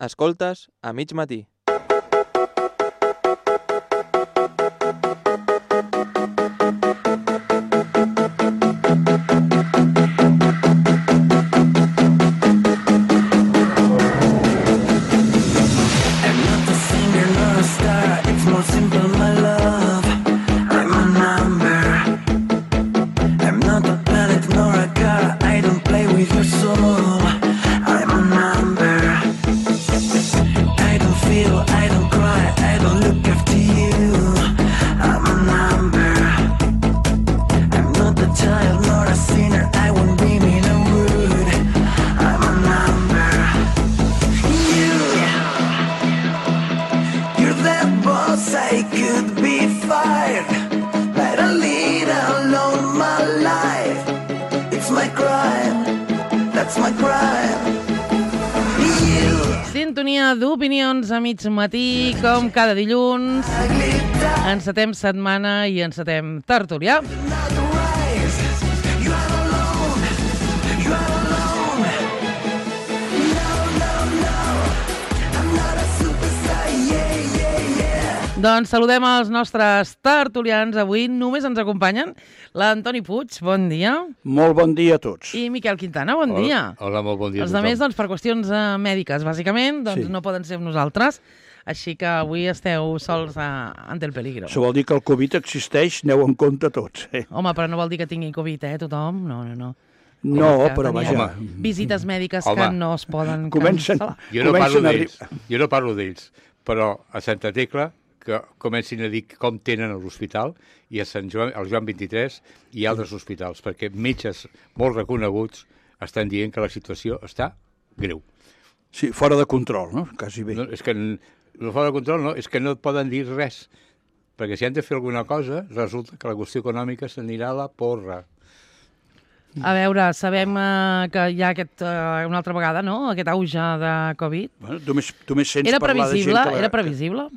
Escoltes a mig matí. Sintonia d'opinions a mig matí, com cada dilluns. Encetem setmana i encetem tertúlia. Doncs saludem els nostres tertulians. Avui només ens acompanyen l'Antoni Puig, bon dia. Molt bon dia a tots. I Miquel Quintana, bon dia. Hola, molt bon dia a Els tothom. altres, doncs, per qüestions mèdiques, bàsicament, doncs no poden ser amb nosaltres. Així que avui esteu sols ante el peligro. Això vol dir que el Covid existeix, aneu en compte tots. Home, però no vol dir que tingui Covid, tothom? No. No, però vaja. Visites mèdiques que no es poden cancel·lar. Jo no parlo d'ells, però a Santa Tecla que comencin a dir com tenen a l'hospital i a Sant Joan, al Joan 23 i altres hospitals, perquè metges molt reconeguts estan dient que la situació està greu. Sí, fora de control, no? Quasi bé. No, és que no fora de control, no, és que no poden dir res, perquè si han de fer alguna cosa, resulta que la qüestió econòmica s'anirà a la porra. A veure, sabem que hi ha una altra vegada, no?, aquest auge de Covid. Bueno, tu més sents parlar de gent que... Era previsible?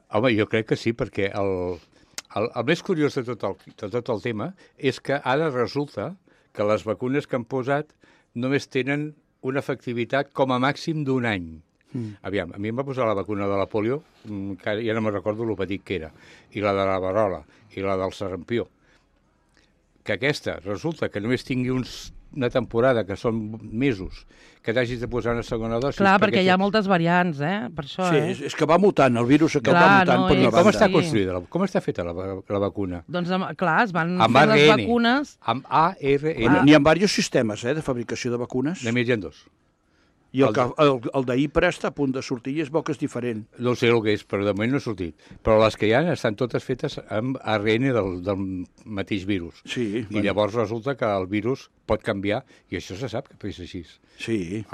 Home, jo crec que sí, perquè el més curiós de tot el tema és que ara resulta que les vacunes que han posat només tenen una efectivitat com a màxim d'un any. Aviam, a mi em va posar la vacuna de la polio, que ja no me'n recordo el petit que era, i la de la verola, i la del sarampió. Que aquesta resulta que només tingui una temporada, que són mesos, que t'hagis de posar una segona dosi. Clar, perquè hi ha moltes variants, per això. Sí, és que va mutant, el virus aquest va mutant per una banda. Com està construïda, com està feta la vacuna? Doncs, clar, es van fer les vacunes... Amb ARN. N'hi ha diversos sistemes, de fabricació de vacunes. Només hi ha dos. I el d'Ipra està a punt de sortir i és bo que és diferent. No sé el que és, però de moment no ha sortit. Però les que hi ha estan totes fetes amb ARN del mateix virus. Sí. I llavors resulta que el virus pot canviar, i això se sap que és així. Sí.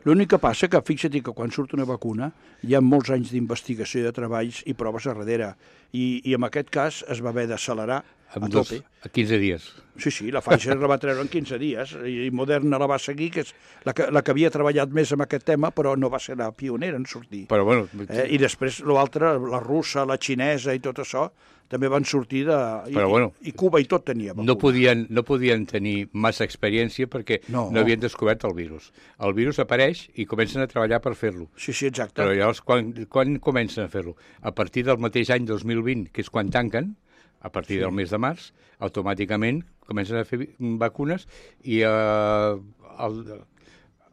L'únic que passa que, fixa't que quan surt una vacuna hi ha molts anys d'investigació, de treballs i proves a darrere. I en aquest cas es va haver d'accelerar a tope. A 15 dies. Sí, la Pfizer la va treure en 15 dies i Moderna la va seguir, que és la que havia treballat més amb aquest tema, però no va ser la pionera en sortir. Però bueno... I després l'altre, la russa, la xinesa i tot això, també van sortir i Cuba i tot tenia vacuna. No podien tenir massa experiència perquè no havien descobert el virus. El virus apareix i comencen a treballar per fer-lo. Sí, exacte. Però llavors, quan comencen a fer-lo? A partir del mateix any 2020, que és quan tanquen, a partir del mes de març, automàticament comencen a fer vacunes i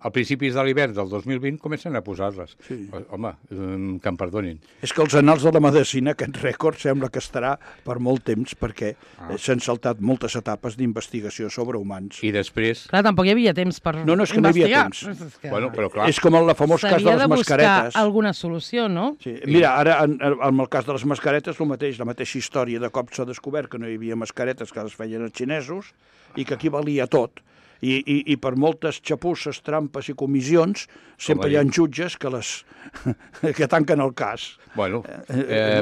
a principis de l'hivern del 2020 comencen a posar-les. Sí. Home, que em perdonin. És que els anals de la medicina, aquest rècord, sembla que estarà per molt temps, perquè s'han saltat moltes etapes d'investigació sobre humans. I després... Clar, tampoc hi havia temps per investigar. No, és que no hi havia temps. Bueno, però clar... És com el famós cas de les mascaretes. S'havia de buscar alguna solució, no? Sí. Mira, ara, en el cas de les mascaretes, la mateixa història de cop s'ha descobert que no hi havia mascaretes que les feien els xinesos i que aquí valia tot. I per moltes xapusses, trampes i comissions sempre hi ha jutges que tanquen el cas. Bueno,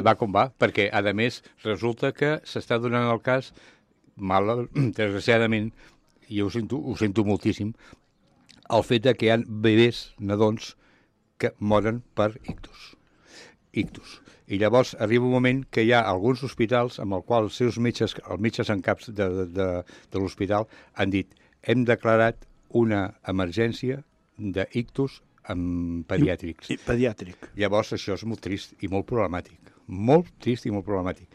va com va, perquè a més resulta que s'està donant el cas, desgraciadament, i ho sento moltíssim, el fet que hi ha bebès, nadons, que moren per ictus. I llavors arriba un moment que hi ha alguns hospitals amb el qual els seus metges en caps de l'hospital han dit: hem declarat una emergència d'ictus amb pediàtrics. Pediàtric. Llavors això és molt trist i molt problemàtic. Molt trist i molt problemàtic.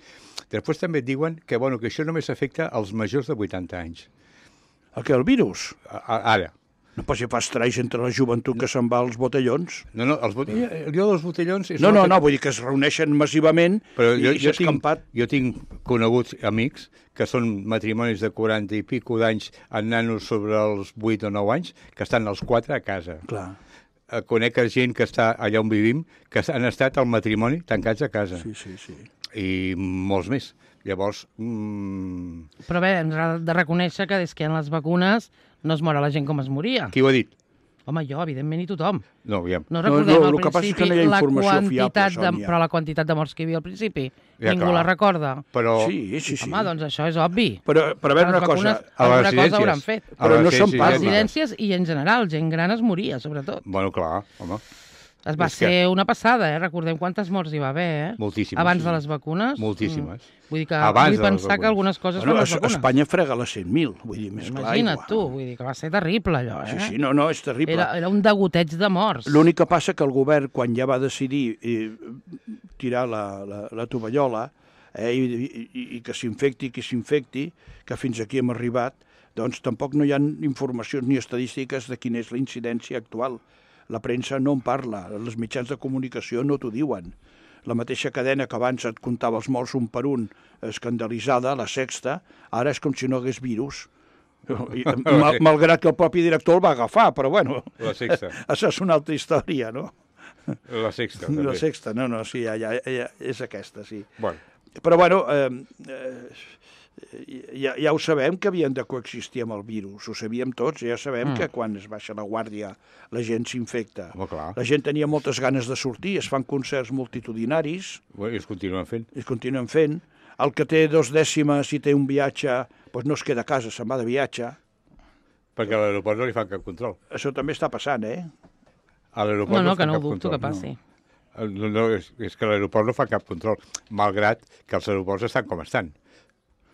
Després també et diuen que, bueno, que això només afecta als majors de 80 anys. El virus? Ara. No, però si fa estralls entre la joventut que se'n va als botellons. No, jo dels botellons... No, vull dir que es reuneixen massivament i s'ha escampat. Jo tinc coneguts amics que són matrimonis de 40 i pico d'anys amb nanos sobre els 8 o 9 anys que estan els 4 a casa. Clar. Conec gent que està allà on vivim que han estat al matrimoni tancats a casa. Sí. I molts més. Llavors... Però bé, hem de reconèixer que des que hi ha les vacunes no es mor la gent com es moria. Qui ho ha dit? Home, jo, evidentment, i tothom. No, aviam. No recordem al el que passa és que no hi ha informació fiable, Sònia. Però la quantitat de morts que hi havia al principi, Ja, ningú clar. la recorda. Però... Sí. Home, doncs això és obvi. Però a veure una cosa... Alguna cosa hauran fet. Però no se'n A parla. residències i en general, gent gran es moria, sobretot. Bueno, clar, home. Va ser una passada, Recordem quantes morts hi va haver, Moltíssimes. Abans de les vacunes. Moltíssimes. Vull dir que Abans vull de les pensar que vacunes. algunes coses Bueno, són les vacunes. Espanya frega les 100.000, vull dir, més clar. Imagina't tu, vull dir que va ser terrible allò, Sí, no, és terrible. Era un degoteig de morts. L'únic que passa que el govern, quan ja va decidir tirar la tovallola i que s'infecti qui s'infecti, que fins aquí hem arribat, doncs tampoc no hi ha informacions ni estadístiques de quina és la incidència actual. La premsa no en parla, els mitjans de comunicació no t'ho diuen. La mateixa cadena que abans et comptava els morts un per un, escandalitzada, La Sexta, ara és com si no hagués virus. Malgrat que el propi director el va agafar, però bueno... La Sexta. Això és una altra història, no? La Sexta, també. La Sexta, no, sí, ja és aquesta, sí. Bueno. Però bueno, ja ho sabem que havien de coexistir amb el virus, ho sabíem tots, ja sabem que quan es baixa la guàrdia la gent s'infecta. Home, clar. La gent tenia moltes ganes de sortir, es fan concerts multitudinaris, Bueno, I es continuen fent. El que té 2 dècimes i té un viatge, doncs no es queda a casa, se'n va de viatge. Perquè a l'aeroport no li fan cap control. Això també està passant, A l'aeroport No, fan que no cap ho dubto control. que passi. No, és que a l'aeroport no fa cap control, malgrat que els aeroports estan com estan.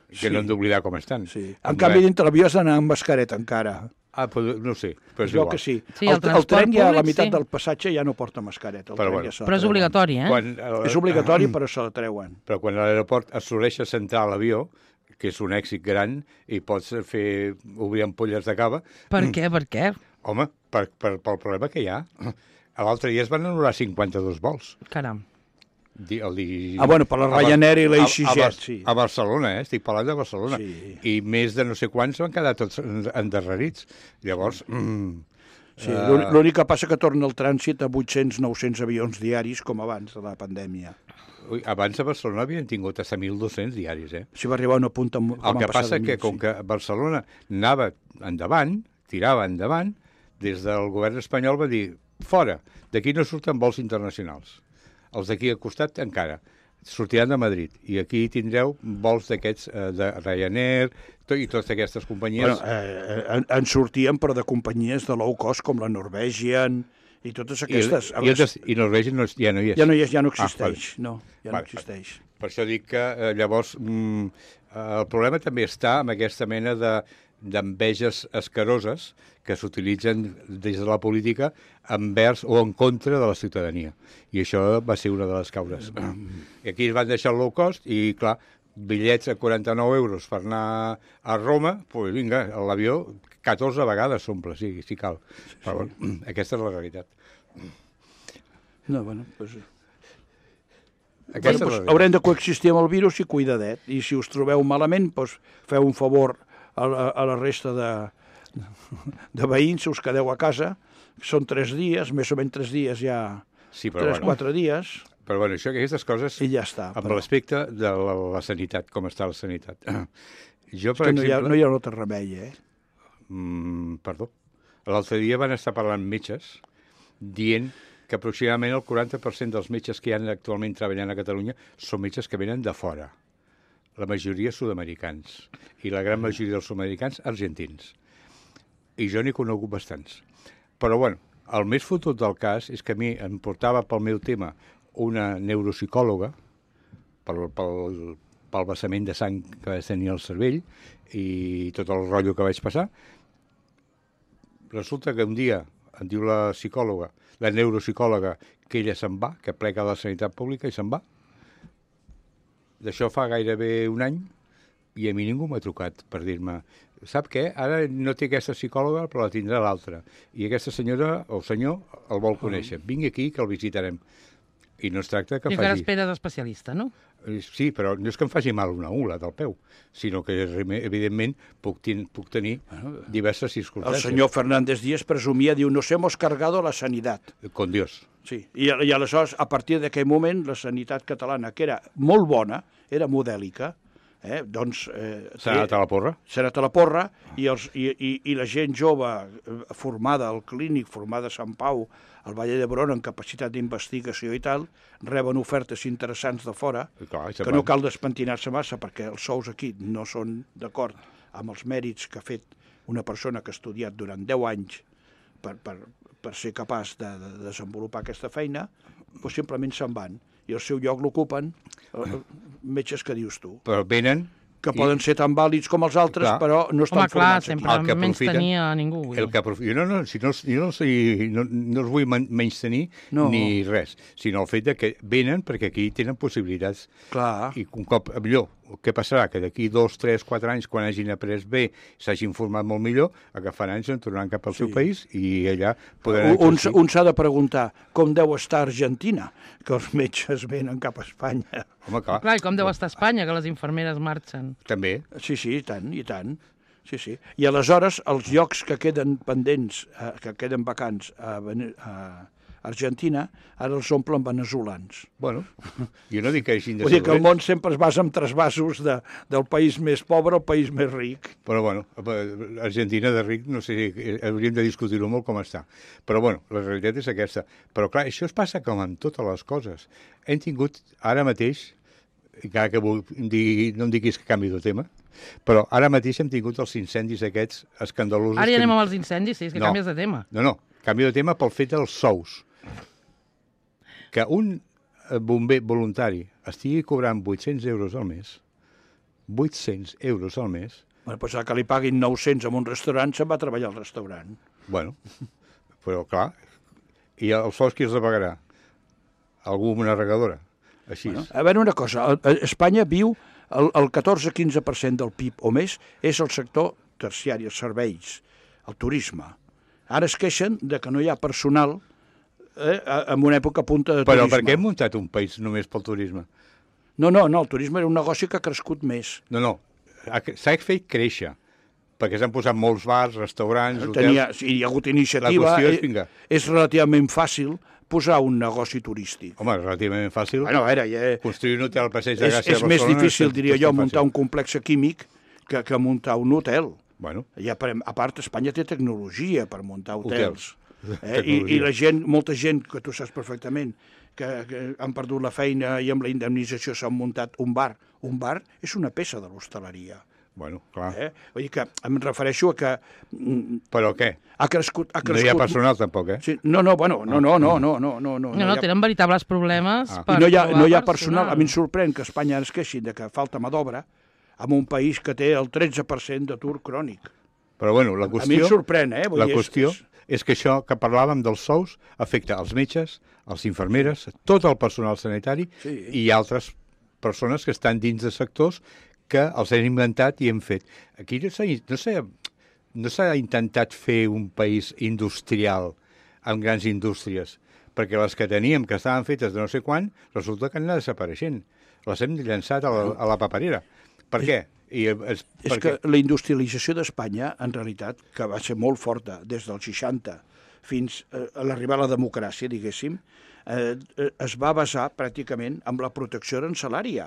Que no hem d'oblidar com estan. Sí. En canvi, dintre l'avió has d'anar amb mascareta encara. Però no ho sé, però és Jo igual. que sí. Sí, El transport tren ja a la públic, meitat sí. del passatge ja no porta mascareta. Però Però és obligatori, És obligatori, però se la treuen. Però quan a l'aeroport assoleix a centrar l'avió, que és un èxit gran, i pots obrir ampolles de cava... Per què? Home, pel problema que hi ha. L'altre dia es van anul·lar 52 vols. Caram. Bueno, per la Ryanair i l'EasyJet, sí. A Barcelona, estic parlant de Barcelona. Sí. I més de no sé quants van quedar tots endarrerits. Llavors... Sí, l'únic que passa que torna el trànsit a 800-900 avions diaris com abans de la pandèmia. Abans a Barcelona havien tingut fins a 1.200 diaris, Si va arribar a una punta com El que passa que, com que Barcelona anava endavant, tirava endavant, des del govern espanyol va dir, fora, d'aquí no surten vols internacionals. Els d'aquí al costat encara sortiran de Madrid. I aquí tindreu vols d'aquests, de Ryanair i totes aquestes companyies. Bueno, en sortien, però de companyies de low cost, com la Norwegian i totes aquestes. I Norwegian ja no hi és. Ja no existeix. No existeix. Per això dic que llavors el problema també està amb aquesta mena d'enveges escaroses que s'utilitzen des de la política envers o en contra de la ciutadania. I això va ser una de les causes. I aquí es van deixar el low cost i, clar, bitllets a 49 euros per anar a Roma, doncs vinga, l'avió 14 vegades s'omple, si cal. Però bueno, aquesta és la realitat. No, bueno, doncs... Haurem de coexistir amb el virus i cuidadet. I si us trobeu malament, doncs feu un favor a la resta de veïns, si us quedeu a casa. Són 3 dies, més o menys 3 dies ja... Sí, però 3-4 dies. Però bueno, aquestes coses... I ja està. Amb l'aspecte de la sanitat, com està la sanitat. Jo, per exemple... No hi ha un altre remei, Perdó. L'altre dia van estar parlant metges dient que aproximadament el 40% dels metges que hi ha actualment treballant a Catalunya són metges que venen de fora. La majoria sud-americans. I la gran majoria dels sud-americans argentins. I jo n'he conegut bastants. Però, bueno, el més fotut del cas és que a mi em portava pel meu tema una neuropsicòloga pel vessament de sang que vaig tenir al cervell i tot el rotllo que vaig passar. Resulta que un dia em diu la psicòloga, la neuropsicòloga, que ella se'n va, que plega a la sanitat pública i se'n va. D'això fa gairebé un any i a mi ningú m'ha trucat per dir-me sap què? Ara no té aquesta psicòloga, però la tindrà l'altra. I aquesta senyora o senyor el vol conèixer. Vingui aquí que el visitarem. I no es tracta que I encara esperes especialista, no? Sí, però no és que em faci mal una ungla del peu, sinó que, evidentment, puc tenir diverses El circumstàncies. senyor Fernández Díaz presumia, diu, nos hemos cargado la sanidad. Con Dios. Sí, i aleshores, a partir d'aquell moment, la sanitat catalana, que era molt bona, era modèlica, doncs... S'ha anat a la porra? S'ha anat a la porra, i la gent jove formada al Clínic, formada a Sant Pau, al Vall d'Hebron, en capacitat d'investigació i tal, reben ofertes interessants de fora, que no cal despentinar-se massa, perquè els sous aquí no són d'acord amb els mèrits que ha fet una persona que ha estudiat durant 10 anys per ser capaç de desenvolupar aquesta feina, doncs simplement se'n van. I el seu lloc l'ocupen metges que dius tu. Però venen... Que poden ser tan vàlids com els altres, clar, però no estan formats aquí. Home, clar, sempre menys tenia a ningú. Jo no els vull menys tenir ni res, sinó el fet que venen perquè aquí tenen possibilitats. Clar. I un cop millor, què passarà? Que d'aquí 2, 3, 4 anys, quan hagin après bé, s'hagin format molt millor, agafaran i se'n tornaran cap al seu país i allà podran exercir. Un s'ha de preguntar com deu estar Argentina, que els metges venen cap a Espanya. Home, clar. Clar, i com deu estar Espanya, que les infermeres marxen. També. Sí, i tant. Sí, sí. I aleshores els llocs que queden pendents, que queden vacants a Argentina, ara els omplen veneçolans. Bueno, jo no dic que hagin de ser... Vull dir que el món sempre es basa en trasbasos del país més pobre al país més ric. Però bueno, Argentina de ric, no sé, hauríem de discutir-ho molt com està. Però bueno, la realitat és aquesta. Però clar, això es passa com amb totes les coses. Hem tingut ara mateix, encara que no em diguis que canvi de tema, però ara mateix hem tingut els incendis aquests escandalosos. Ara ja anem amb els incendis, sí, és que canvies de tema. No, canvio de tema pel fet dels sous. Que un bomber voluntari estigui cobrant 800 euros al mes, 800 euros al mes... Bueno, doncs que li paguin 900 en un restaurant, se'n va a treballar al restaurant. Bueno, però clar, i els sous qui els pagarà? Algú amb una regadora? Així. Bueno, a veure una cosa, Espanya viu el 14-15% del PIB o més és el sector terciari, els serveis, el turisme. Ara es queixen de que no hi ha personal en una època punta de turisme. Però per què hem muntat un país només pel turisme? No, el turisme era un negoci que ha crescut més. No, s'ha fet créixer, perquè s'han posat molts bars, restaurants, hotels... Hi ha hagut iniciativa, la qüestió és relativament fàcil posar un negoci turístic. Home, relativament fàcil. Bueno, a veure, construir un hotel al Passeig de Gràcia a Barcelona... És més difícil, diria jo, muntar un complex químic que muntar un hotel. Bueno. A part, Espanya té tecnologia per muntar hotels. I la gent, molta gent, que tu saps perfectament, que han perdut la feina i amb la indemnització s'han muntat un bar. Un bar és una peça de l'hostaleria. Bueno, clar. Vull dir que em refereixo a que... Però què? Ha crescut... No hi ha personal, tampoc, eh? Sí, no, tenen veritables problemes per no hi ha personal. A mi em sorprèn que Espanya es queixi de que falta mà d'obra en un país que té el 13% d'atur crònic. Però bueno, la qüestió... A mi em sorprèn, La qüestió és que això que parlàvem dels sous afecta els metges, els infermeres, tot el personal sanitari i altres persones que estan dins de sectors que els hem inventat i hem fet. Aquí no s'ha intentat fer un país industrial amb grans indústries, perquè les que teníem, que estaven fetes de no sé quan, resulta que han anat desapareixent. Les hem llançat a la paperera. Per què? És que la industrialització d'Espanya, en realitat, que va ser molt forta des dels 60 fins a l'arribar a la democràcia, diguéssim, es va basar pràcticament en la protecció arancelària.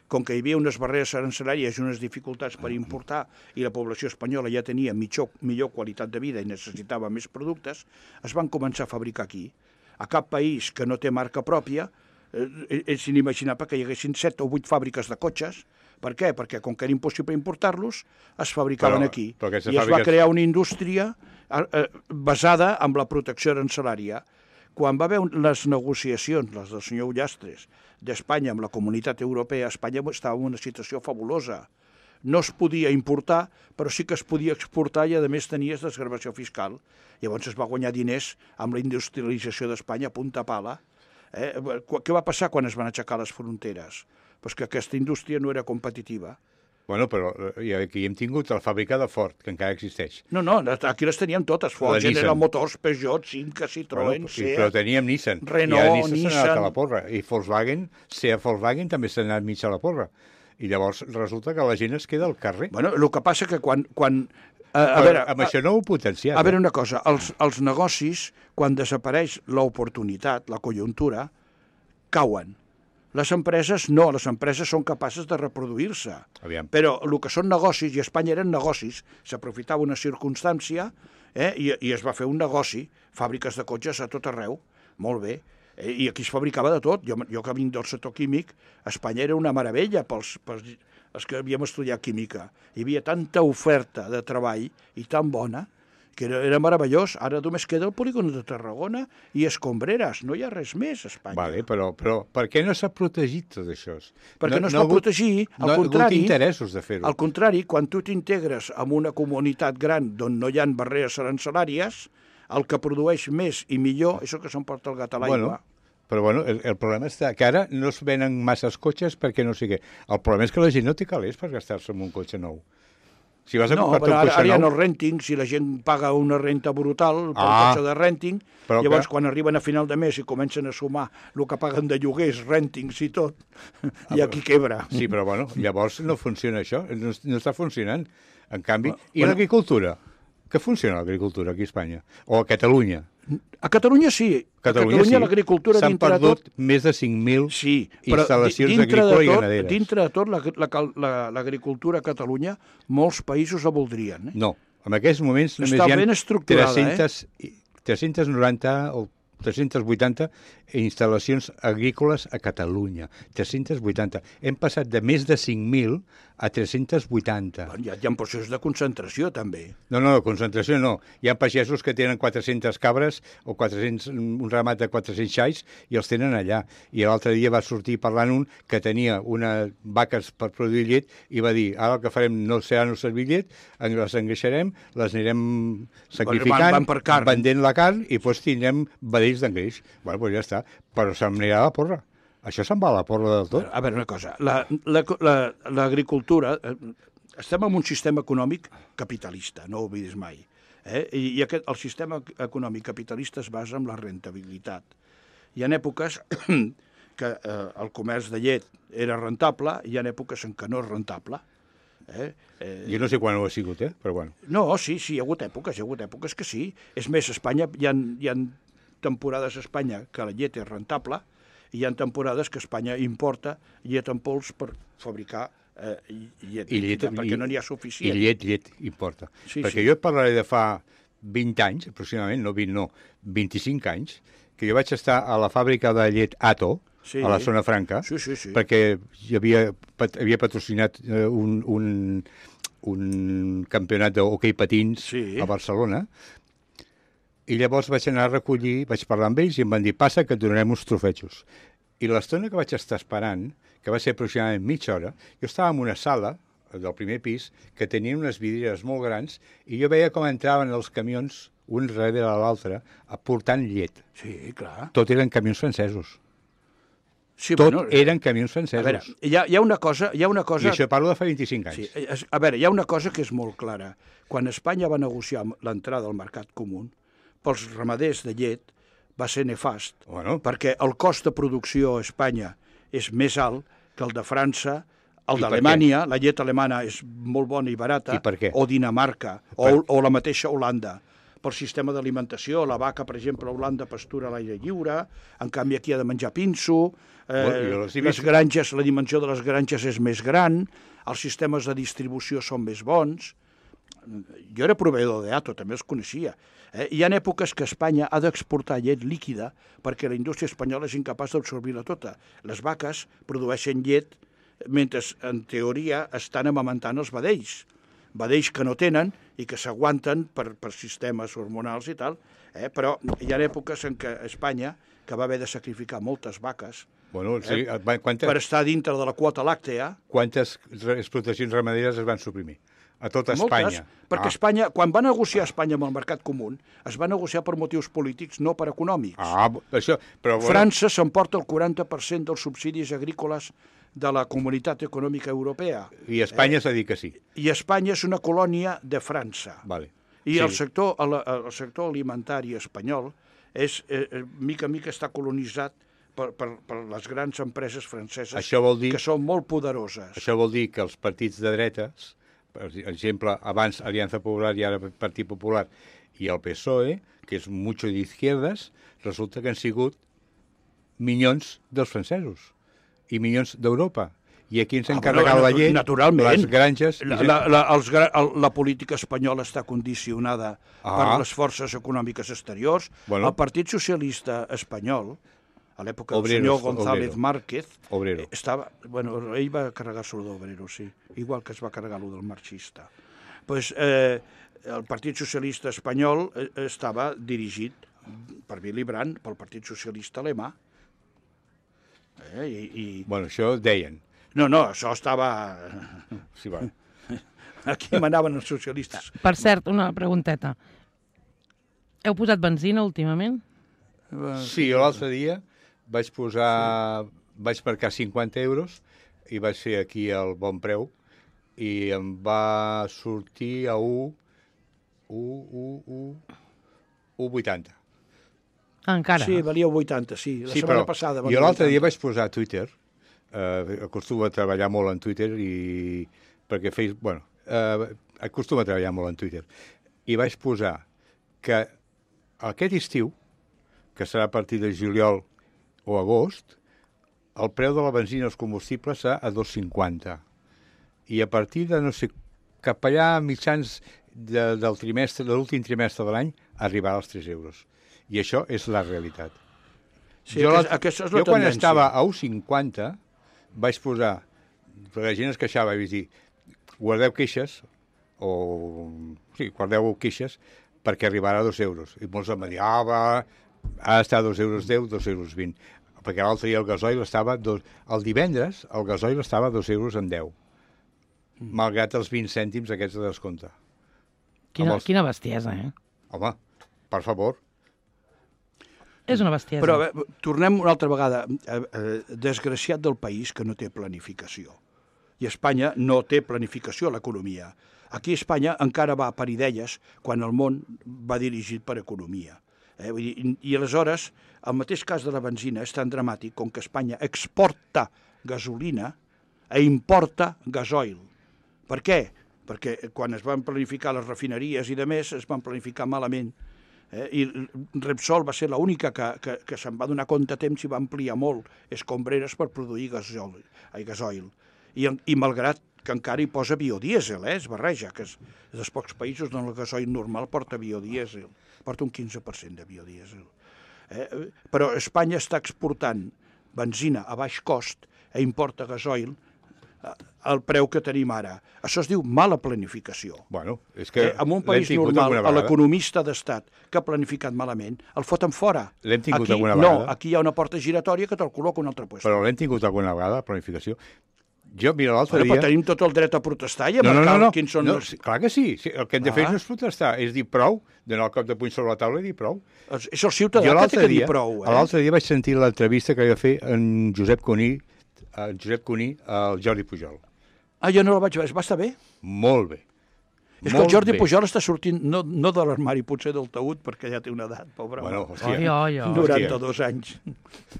Com que hi havia unes barreres arancelàries i unes dificultats per importar i la població espanyola ja tenia millor qualitat de vida i necessitava més productes, es van començar a fabricar aquí. A cap país que no té marca pròpia és inimaginable que hi haguessin 7 o 8 fàbriques de cotxes. Per què? Perquè com que era impossible importar-los, es fabricaven aquí. I es va crear una indústria basada en la protecció arancelària. Quan va haver les negociacions, les del senyor Ullastres, d'Espanya amb la Comunitat Europea, Espanya estava en una situació fabulosa, no es podia importar, però sí que es podia exportar i, a més, tenies desgravació fiscal. Llavors es va guanyar diners amb la industrialització d'Espanya a punta pala. Què va passar quan es van aixecar les fronteres? Pues que aquesta indústria no era competitiva. Bueno, però aquí hem tingut la fàbrica de Ford, que encara existeix. No, aquí les teníem totes. Ford, General Motors, Peugeot, Simca, Citroën, Seat... Però teníem Nissan. Renault, I ara Nissan s'ha anat Nissan... a la porra. I Volkswagen també s'ha anat mig a la porra. I llavors resulta que la gent es queda al carrer. Bueno, el que passa que quan amb això no ho potenciat. A veure, una cosa, els negocis, quan desapareix l'oportunitat, la conjuntura, cauen. Les empreses no, les empreses són capaces de reproduir-se. Aviam. Però el que són negocis, i a Espanya eren negocis, s'aprofitava una circumstància i es va fer un negoci, fàbriques de cotxes a tot arreu, molt bé, i aquí es fabricava de tot. Jo que vinc del sector químic, Espanya era una meravella pels que havíem estudiat química. Hi havia tanta oferta de treball i tan bona que era meravellós. Ara només queda el polígon de Tarragona i Escombreres. No hi ha res més a Espanya. Vale, però per què no s'ha protegit tot això? Perquè no es pot protegir, al contrari... No ha hagut interessos de fer-ho. Al contrari, quan tu t'integres en una comunitat gran d'on no hi ha barreres arancelàries, el que produeix més i millor és el que s'emporta el gat a l'aigua. Però el problema està que ara no es venen masses cotxes perquè no sigui... El problema és que la gent no té calés per gastar-se en un cotxe nou. Si vas a comprar un cotxe ara hi ha nou... el renting, si la gent paga una renta brutal pel cotxe de renting, llavors quan arriben a final de mes i comencen a sumar el que paguen de lloguers, rentings i tot, i aquí quebra. Sí, però llavors no funciona això, no està funcionant. En canvi, i l'agricultura? Que funciona l'agricultura aquí a Espanya? O a Catalunya? A Catalunya sí. A Catalunya l'agricultura dintre de tot... S'han perdut més de 5.000 instal·lacions agrícoles i ramaderes. Dintre de tot, l'agricultura a Catalunya, molts països la voldrien. No, en aquests moments només hi ha 390 o 380 instal·lacions agrícoles a Catalunya. 380. Hem passat de més de 5.000 a 380. Hi ha processos de concentració, també. No, concentració no. Hi ha pagesos que tenen 400 cabres o un ramat de 400 xais i els tenen allà. I l'altre dia va sortir parlant un que tenia unes vaques per produir llet i va dir, ara el que farem no serà no servir llet, les engreixarem, les anirem sacrificant, vendent la carn i doncs tindrem vedells d'engreix. Bueno, doncs ja està. Però se'm anirà a la porra. Això se'n va a la porra del tot. A veure, una cosa. L'agricultura... Estem en un sistema econòmic capitalista, no ho oblidis mai. I el sistema econòmic capitalista es basa en la rentabilitat. Hi ha èpoques que el comerç de llet era rentable, i hi ha èpoques en què no és rentable. Jo no sé quan ho ha sigut, però bueno. No, sí, hi ha hagut èpoques que sí. És més, a Espanya hi ha temporades a Espanya que la llet és rentable i hi ha temporades que Espanya importa llet en pols per fabricar llet, perquè no n'hi ha suficient. I llet importa. Sí, perquè jo et parlaré de fa 20 anys, aproximadament, no 20, no, 25 anys, que jo vaig estar a la fàbrica de llet Ato, a la zona franca, perquè havia patrocinat un campionat d'hoquei patins a Barcelona. I llavors vaig anar a recollir, vaig parlar amb ells i em van dir, passa que et donarem uns trofetxos. I l'estona que vaig estar esperant, que va ser aproximadament mitja hora, jo estava en una sala del primer pis que tenia unes vidrieres molt grans i jo veia com entraven els camions, un darrere l'altre, portant llet. Sí, clar. Tot eren camions francesos. Sí, eren camions francesos. A veure, hi ha una cosa... I això parlo de fa 25 anys. Sí, a veure, hi ha una cosa que és molt clara. Quan Espanya va negociar l'entrada al mercat comú, pels ramaders de llet va ser nefast, perquè el cost de producció a Espanya és més alt que el de França, el d'Alemanya, la llet alemana és molt bona i barata, o Dinamarca, o la mateixa Holanda. Pel sistema d'alimentació, la vaca, per exemple, a Holanda pastura a l'aire lliure, en canvi aquí ha de menjar pinso, les granges, la dimensió de les granges és més gran, els sistemes de distribució són més bons. Jo era proveïdor d'Ato, també els coneixia. Hi ha èpoques que Espanya ha d'exportar llet líquida perquè la indústria espanyola és incapaç d'absorbir-la tota. Les vaques produeixen llet mentre, en teoria, estan amamentant els vedells que no tenen i que s'aguanten per sistemes hormonals i tal, però hi ha èpoques en què Espanya que va haver de sacrificar moltes vaques Bueno, sí, per estar dintre de la quota làctea. quantes explotacions ramaderes es van suprimir? A tota Espanya. Perquè Espanya, quan va negociar Espanya amb el mercat comú, es va negociar per motius polítics, no per econòmics. Això... Però, França s'emporta el 40% dels subsidis agrícoles de la Comunitat Econòmica Europea. I Espanya s'ha dit que sí. I Espanya és una colònia de França. Vale. I Sí. el sector alimentari espanyol mica en mica està colonitzat per les grans empreses franceses Això vol dir... que són molt poderoses. Això vol dir que els partits de dretes, per exemple, abans Aliança Popular i ara Partit Popular, i el PSOE, que és mucho d'izquierdes, resulta que han sigut minyons dels francesos i minyons d'Europa. I aquí ens han carregat la llet, les granges... La política espanyola està condicionada per les forces econòmiques exteriors. Bueno. El Partit Socialista espanyol, a l'època del senyor González Márquez, estava... Bueno, ell va carregar-se d'Obrero, sí, igual que es va carregar-lo del marxista. Pues, el Partit Socialista espanyol estava dirigit per Willy Brandt, pel Partit Socialista alemà. Bueno, això deien. No, això estava... Sí, va. Aquí manaven els socialistes. Per cert, una pregunteta. Heu posat benzina últimament? Sí, l'altre dia vaig posar... Vaig marcar 50 euros i vaig fer aquí el bon preu i em va sortir a 1,80. Encara? Sí, valia 80, sí. La setmana passada valia 80. Jo l'altre dia vaig posar a Twitter, acostumo a treballar molt en Twitter perquè acostumo a treballar molt en Twitter, i vaig posar que aquest estiu, que serà a partir de juliol o agost, el preu de la benzina i els combustibles serà a 2,50. I a partir de, no sé, cap allà mitjans del trimestre, de l'últim trimestre de l'any, arribarà als 3 euros. I això és la realitat. Sí, aquesta és la jo quan tendència. estava a 1,50 vaig posar, perquè la gent es queixava, i vaig dir, guardeu queixes, guardeu queixes, perquè arribarà a 2 euros. I molts em van dir, ha d'estar a 2,10 euros, 2,20 euros. Perquè l'altre dia el gasoil estava, el divendres, el gasoil estava a 2,10 euros, malgrat els 20 cèntims aquests de descompte. Quina bestiesa, eh? Home, per favor. És una bestiesa. Però tornem una altra vegada. Desgraciat del país que no té planificació. I Espanya no té planificació a l'economia. Aquí a Espanya encara va per idees quan el món va dirigit per economia. I aleshores, el mateix cas de la benzina és tan dramàtic com que Espanya exporta gasolina i importa gasoil. Per què? Perquè quan es van planificar les refineries i de més, es van planificar malament. I Repsol va ser l'única que se'n va donar compte a temps i va ampliar molt escombreres per produir gasoil. I malgrat que encara hi posa biodièsel, es barreja, que és dels pocs països on el gasoil normal porta biodièsel, porta un 15% de biodièsel. Però Espanya està exportant benzina a baix cost i importa gasoil al preu que tenim ara. Això es diu mala planificació. Bueno, és que en un país normal, l'economista d'estat que ha planificat malament, el foten fora. L'hem tingut alguna vegada. No, aquí hi ha una porta giratòria que te'l col·loca un altre lloc. Però l'hem tingut alguna vegada, la planificació. Jo, mira, l'altre dia... Però tenim tot el dret a protestar i a marcar quins són els... Clar que sí. El que hem de fer no és protestar, és dir prou, donar el cop de puny sobre la taula i dir prou. És el ciutadà que té que dir prou. L'altre dia vaig sentir l'entrevista que va fer en Josep Cuní al Jordi Pujol. Jo no la vaig veure. Va estar bé? Molt bé. És que el Jordi Pujol està sortint, no de l'armari, potser del taüt, perquè ja té una edat, pobre. Bueno, hòstia. 92 anys.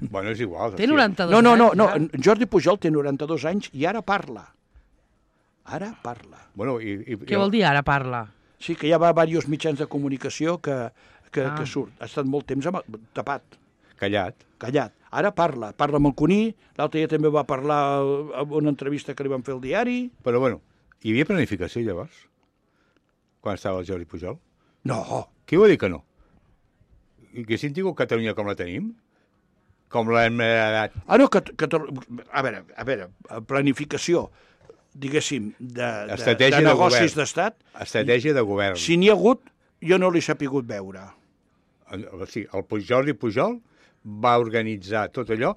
Bueno, és igual. Té 92 anys? No, Jordi Pujol té 92 anys i ara parla. Ara parla. Bueno, Què vol dir ara parla? Sí, que hi ha diversos mitjans de comunicació que surt. Ha estat molt temps tapat. Callat. Ara parla amb el Cuní, l'altre dia també va parlar en una entrevista que li van fer al diari. Però bueno, hi havia planificació llavors? Quan estava el Jordi Pujol? No. Qui va dir que no? I que si hem tingut Catalunya com la tenim? Com l'hem heredat? No, a veure, planificació, diguéssim, de negocis d'estat. Estratègia de govern. Si n'hi ha hagut, jo no l'he sapigut veure. Sí, el Jordi Pujol va organitzar tot allò,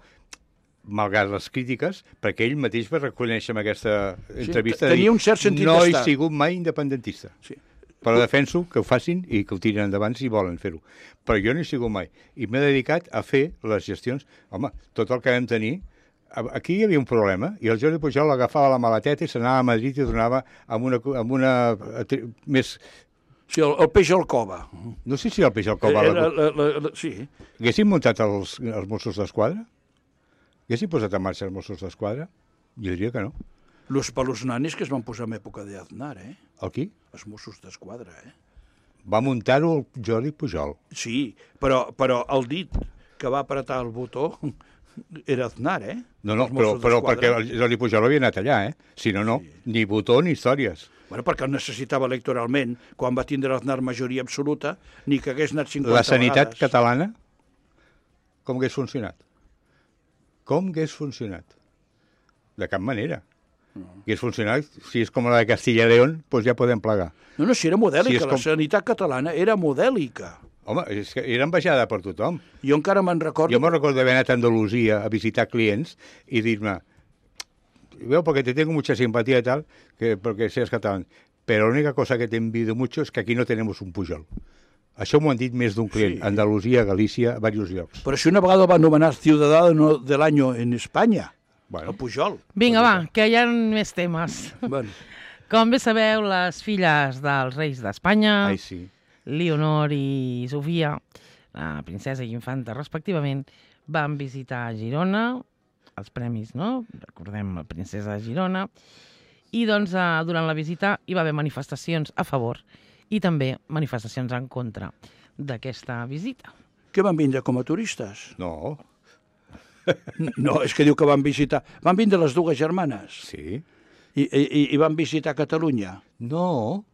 malgrat les crítiques, perquè ell mateix va reconèixer en aquesta entrevista tenia un cert sentit no he d'estat. sigut mai independentista. Sí. Però defenso que ho facin i que ho tirin endavant si volen fer-ho. Però jo no he sigut mai. I m'he dedicat a fer les gestions. Home, tot el que vam tenir... Aquí hi havia un problema, i el Jordi Pujol agafava la maleteta i s'anava a Madrid i tornava amb una més... Sí, el peix al cova. No sé si el peix al cova... Sí. Haguessin muntat els Mossos d'Esquadra? Haguessin posat en marxa els Mossos d'Esquadra? Jo diria que no. Los palos nanis que es van posar en època d'Aznar, El qui? Els Mossos d'Esquadra, Va muntar-ho el Jordi Pujol. Sí, però el dit que va apretar el botó era Aznar, No, Els però Mossos d'Esquadra. perquè el Jordi Pujol havia anat allà, Si no, no. Sí. Ni botó ni històries. Bueno, perquè el necessitava electoralment, quan va tindre Aznar majoria absoluta, ni que hagués anat 50 La sanitat vegades. catalana, com hagués funcionat? Com hagués funcionat? De cap manera. Hagués funcionat, si és com la de Castilla y León, doncs ja podem plegar. No, si era modèlica, Si és la com- sanitat catalana era modèlica. Home, és que era envejada per tothom. Jo encara me'n recordo... Jo me'n recordo d'haver anat a Andalusia a visitar clients i dir-me, veo, porque te tengo mucha simpatía y tal, porque seas catalán, pero la única cosa que te envidio mucho es que aquí no tenemos un Pujol. Això m'ho han dit més d'un client. Sí. Andalusia, Galícia, a diversos llocs. Però si una vegada va anomenar Ciudadano del Año en Espanya, Bueno. el Pujol. Vinga, va, que hi ha més temes. Bueno, Com bé sabeu, les filles dels reis d'Espanya, Ai, sí. Leonor i Sofia, la princesa i infanta respectivament, van visitar Girona, els premis, no? Recordem la princesa de Girona. I doncs durant la visita hi va haver manifestacions a favor i també manifestacions en contra d'aquesta visita. què van vindre com a turistes? No, No, és que diu que van visitar... Van vindre les dues germanes sí. i van visitar Catalunya No.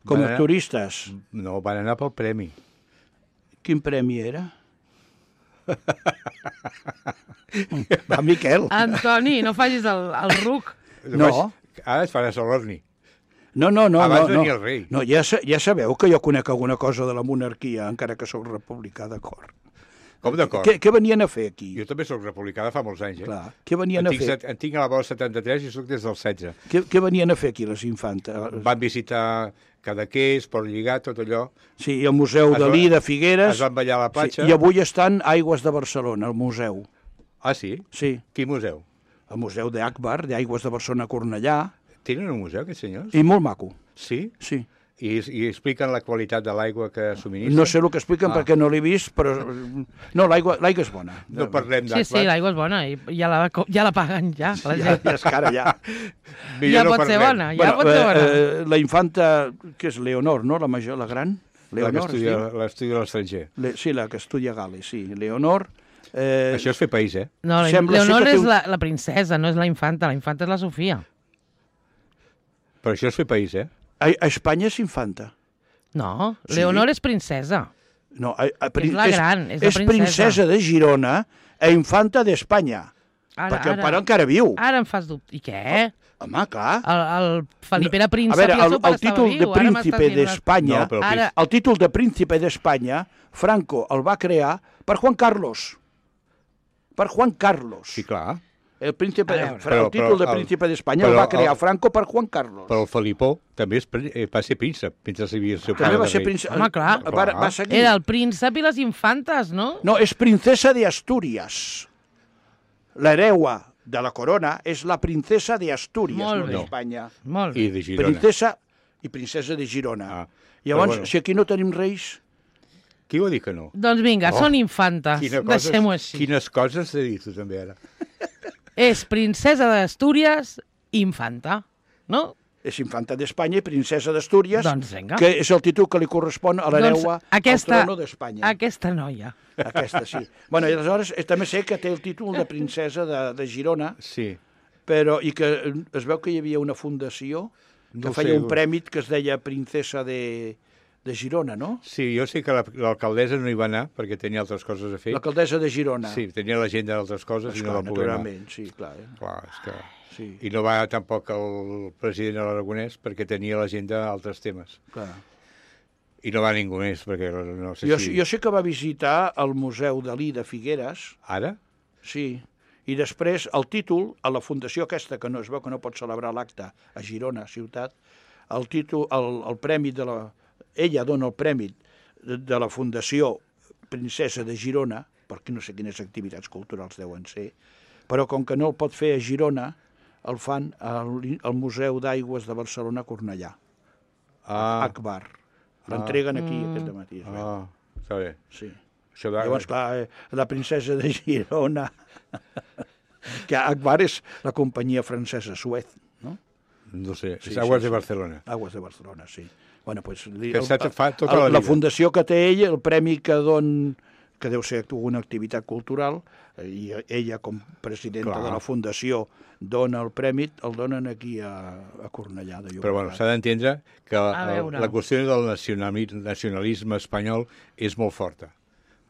com Van a anar- turistes. No, van anar pel premi. Quin premi era? Va, Miquel. Antoni, no facis el ruc. No. Ara et faràs l'orni. No. Abans no. venia el rei. No, ja sabeu que jo conec alguna cosa de la monarquia, encara que sóc republicà, d'acord. Com d'acord? Què venien a fer aquí? Jo també sóc republicà de fa molts anys, Clar, què venien a fer? En tinc a la bola 73 i soc des del 16. Què venien a fer aquí les infantes? Van visitar Cadaqués, Port Lligat, tot allò. Sí, i el Museu Es va- Dalí de Figueres. Es van ballar a la platja. Sí, i avui estan a Aigües de Barcelona, al museu. Ah, sí? Sí, Quin museu? el museu d'Akbar, d'Aigües de Barcelona Cornellà, Tenen un museu, aquests senyors? i molt maco, Sí? sí. I expliquen la qualitat de l'aigua que subministren? No sé el que expliquen perquè no l'he vist, però... No, l'aigua és bona. No parlem Sí, d'Akbar. sí, l'aigua és bona i ja la paguen, ja. La Ja, gent. ja és cara, ja. Ja pot ser bona, ja pot ser bona. La infanta, que és Leonor, no? La major, la gran? La que Leonor, estudia, sí? l'estudia a l'estranger. Sí, la que estudia a Gales, sí. Leonor... Això és fer país, eh? No, sembla ser Leonor que té és un- la princesa, no és la infanta és la Sofia. Però això és fer país, eh? A Espanya és infanta. No, Sí. Leonor és princesa. No, És la gran, és la és princesa de Girona e infanta d'Espanya. Perquè el pare encara viu. Ara em fas dubte. I què? Home, clar. El Felip era A príncep veure, i el seu pare el títol estava de viu. Ara m'estàs príncipe dient una- d'Espanya, No, però Ara, el títol de príncipe d'Espanya, Franco el va crear per Juan Carlos. Per Juan Carlos. Sí, clar. El príncipe, A veure. el títol de príncipe d'Espanya el però va crear Franco per Juan Carlos. Però el Felipó també va ser príncep, mentre havia el seu pare També va de ser rei. príncep. Home, clar. Va seguir. era el príncep i les infantes, no? No, és princesa de Astúries. L'hereua de la corona és la princesa de Astúries, Molt no bé. d'Espanya. Molt bé. I de Girona. Princesa i princesa de Girona. Ah, Llavors, però bueno. si aquí no tenim reis... Qui va dir que no? Doncs vinga, són infantes. Deixem-ho així. Quines coses t'he dit tu també ara. És princesa d'Astúries, infanta, no? És infanta d'Espanya i princesa d'Astúries, Doncs vinga. que és el títol que li correspon a l'hereua al trono d'Espanya. Aquesta noia. Aquesta, sí. Bueno, i aleshores també sé que té el títol de princesa de Girona, Sí. però i que es veu que hi havia una fundació que No ho feia sé. un premi que es deia Princesa de Girona, no? Sí, jo sé que l'alcaldessa no hi va anar perquè tenia altres coses a fer. L'alcaldessa de Girona. Sí, tenia l'agenda d'altres coses i no va poder anar. naturalment, sí, clar. Clar, és que... Sí, I no va tampoc el president Aragonès perquè tenia a l'agenda altres temes. clar. I no va ningú més, perquè no sé si... Jo sé que va visitar el Museu Dalí de Figueres. Ara? Sí. I després el títol, a la fundació aquesta, que no es veu que no pot celebrar l'acte a Girona, ciutat, el títol, el premi de la... Ella dona el premi de la Fundació Princesa de Girona, perquè no sé quines activitats culturals deuen ser, però com que no el pot fer a Girona, el fan al Museu d'Aigües de Barcelona, Cornellà. Akbar. L'entreguen aquí aquest matí. Està bé. Sí. Això Llavors, clar, la princesa de Girona, que Akbar és la companyia francesa Suez, no? No sé, Sí, és Aguas sí, de sí. Barcelona. Aguas de Barcelona, sí. Bueno, pues, Fa tota la la vida. fundació que té ella, el premi que que deu ser una activitat cultural, i ella com presidenta Clar. de la fundació dona el premi, el donen aquí a Cornellà de Llobregat. Però bueno, s'ha d'entendre que veure. la qüestió del nacionalisme espanyol és molt forta,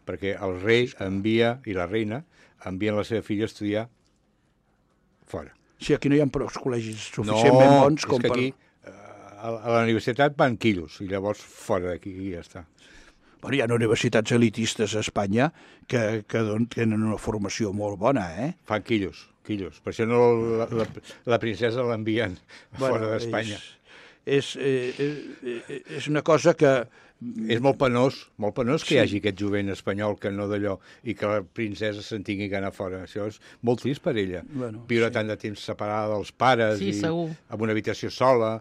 perquè el rei envia, i la reina, envien la seva filla a estudiar fora. Sí, aquí no hi ha prou col·legis suficientment bons com és que aquí a la universitat van quillos, i llavors fora d'aquí i ja està. Bueno, hi ha universitats elitistes a Espanya que tenen una formació molt bona, eh? Fan quillos. Per això no la princesa l'envien fora d'Espanya. És una cosa que... És molt penós que hi hagi aquest jovent espanyol que no d'allò, i que la princesa se'n tingui que anar fora. Això és molt trist per ella. Bueno, viure sí. tant de temps separada dels pares, Sí, i segur. amb una habitació sola.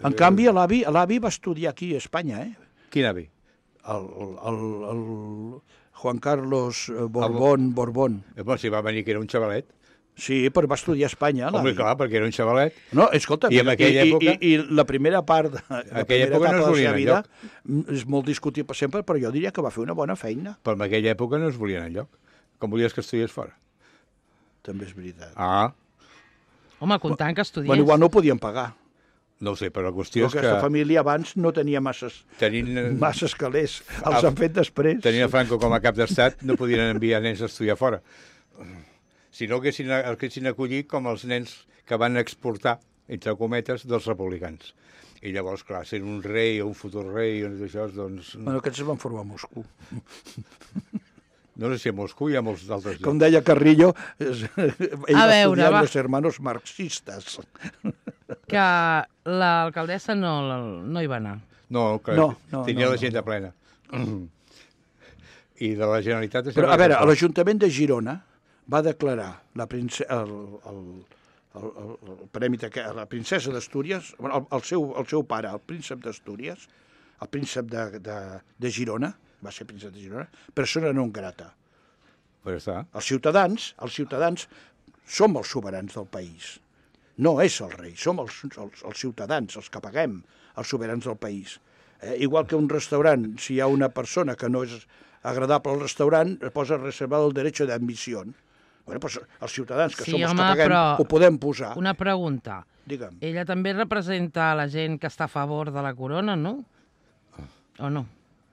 En canvi, l'avi va estudiar aquí a Espanya, eh? Quin avi? El Juan Carlos Borbón. Bueno, si va venir que era un xavalet. Sí, però va estudiar a Espanya, Home, l'avi. clar, perquè era un xavalet. No, escolta, I en aquella època... I la primera part de la aquella primera època no etapa es de la volien seva vida enlloc. és molt discutible sempre, però jo diria que va fer una bona feina. Però en aquella època no es volien enlloc. Com volies que estudiés fora? També és veritat. Home, comptant que estudiés. Bueno, igual no ho podien pagar. No ho sé, però la qüestió Però és aquesta que... família abans no tenia masses calés. Els han fet després. Tenint a Franco com a cap d'estat, no podien enviar nens a estudiar fora. Si no, haguessin acollit com els nens que van exportar, entre cometes, dels republicans. I llavors, clar, sent un rei o un futur rei, això, doncs... Bueno, aquests es van formar a Moscou. No sé si a Moscou hi ha molts d'altres Com llocs. deia Carrillo, ell va veure, estudiar va. los hermanos marxistes. Que l'alcaldessa no hi va anar. No, que No, tenia no, l'agenda plena. I de la Generalitat... Però, a veure, l'Ajuntament de Girona va declarar el premi a la princesa d'Astúries, el seu pare, el príncep d'Astúries, el príncep de Girona, va ser príncep de Girona, persona non grata. Però està. Els ciutadans som els soberans del país. No és el rei, som els ciutadans, els que paguem, els soberans del país. Igual que un restaurant, si hi ha una persona que no és agradable al restaurant, posa reservado el derecho de admisión. Bueno, pues els ciutadans, que Sí, som els home, que paguem, però ho podem posar. Una pregunta. Digue'm. Ella també representa la gent que està a favor de la corona, no? O no?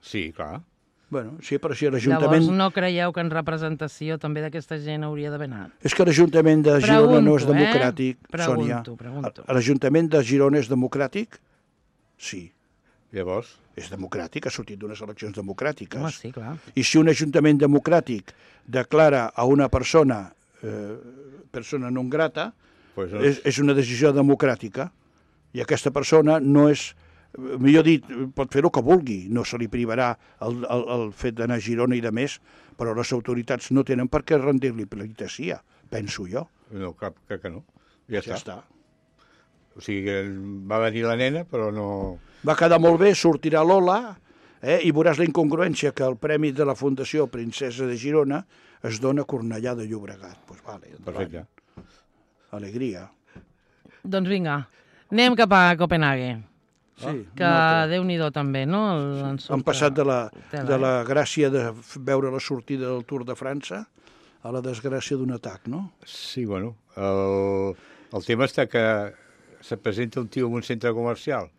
Sí, clar. Bueno, sí, però si Llavors l'Ajuntament... no creieu que en representació també d'aquesta gent hauria d'haver anat? És que l'Ajuntament de Girona no és Pregunto, democràtic, Sònia. Pregunto. L'Ajuntament de Girona és democràtic? Sí. Llavors... És democràtic, ha sortit d'unes eleccions democràtiques. Home, sí, clar. I si un ajuntament democràtic declara a una persona persona non grata, Pues no. és una decisió democràtica. I aquesta persona no és... Millor dit, pot fer el que vulgui, no se li privarà el fet d'anar a Girona i de més, però les autoritats no tenen per què rendir-li pleitessia, penso jo. No, crec que no. Ja Ja està. està. O sigui, que va venir la nena, però no... Va quedar molt bé, sortirà Lola, i veuràs la incongruència que el premi de la Fundació Princesa de Girona es dona a Cornellà de Llobregat. Pues vale, endavant. Perfecte. Alegria. Doncs vinga, anem cap a Copenhague. Sí, Que Déu-n'hi-do també, no? Han passat de la gràcia de veure la sortida del Tour de França a la desgràcia d'un atac, no? Sí, bueno, el tema està que se presenta un tio en un centre comercial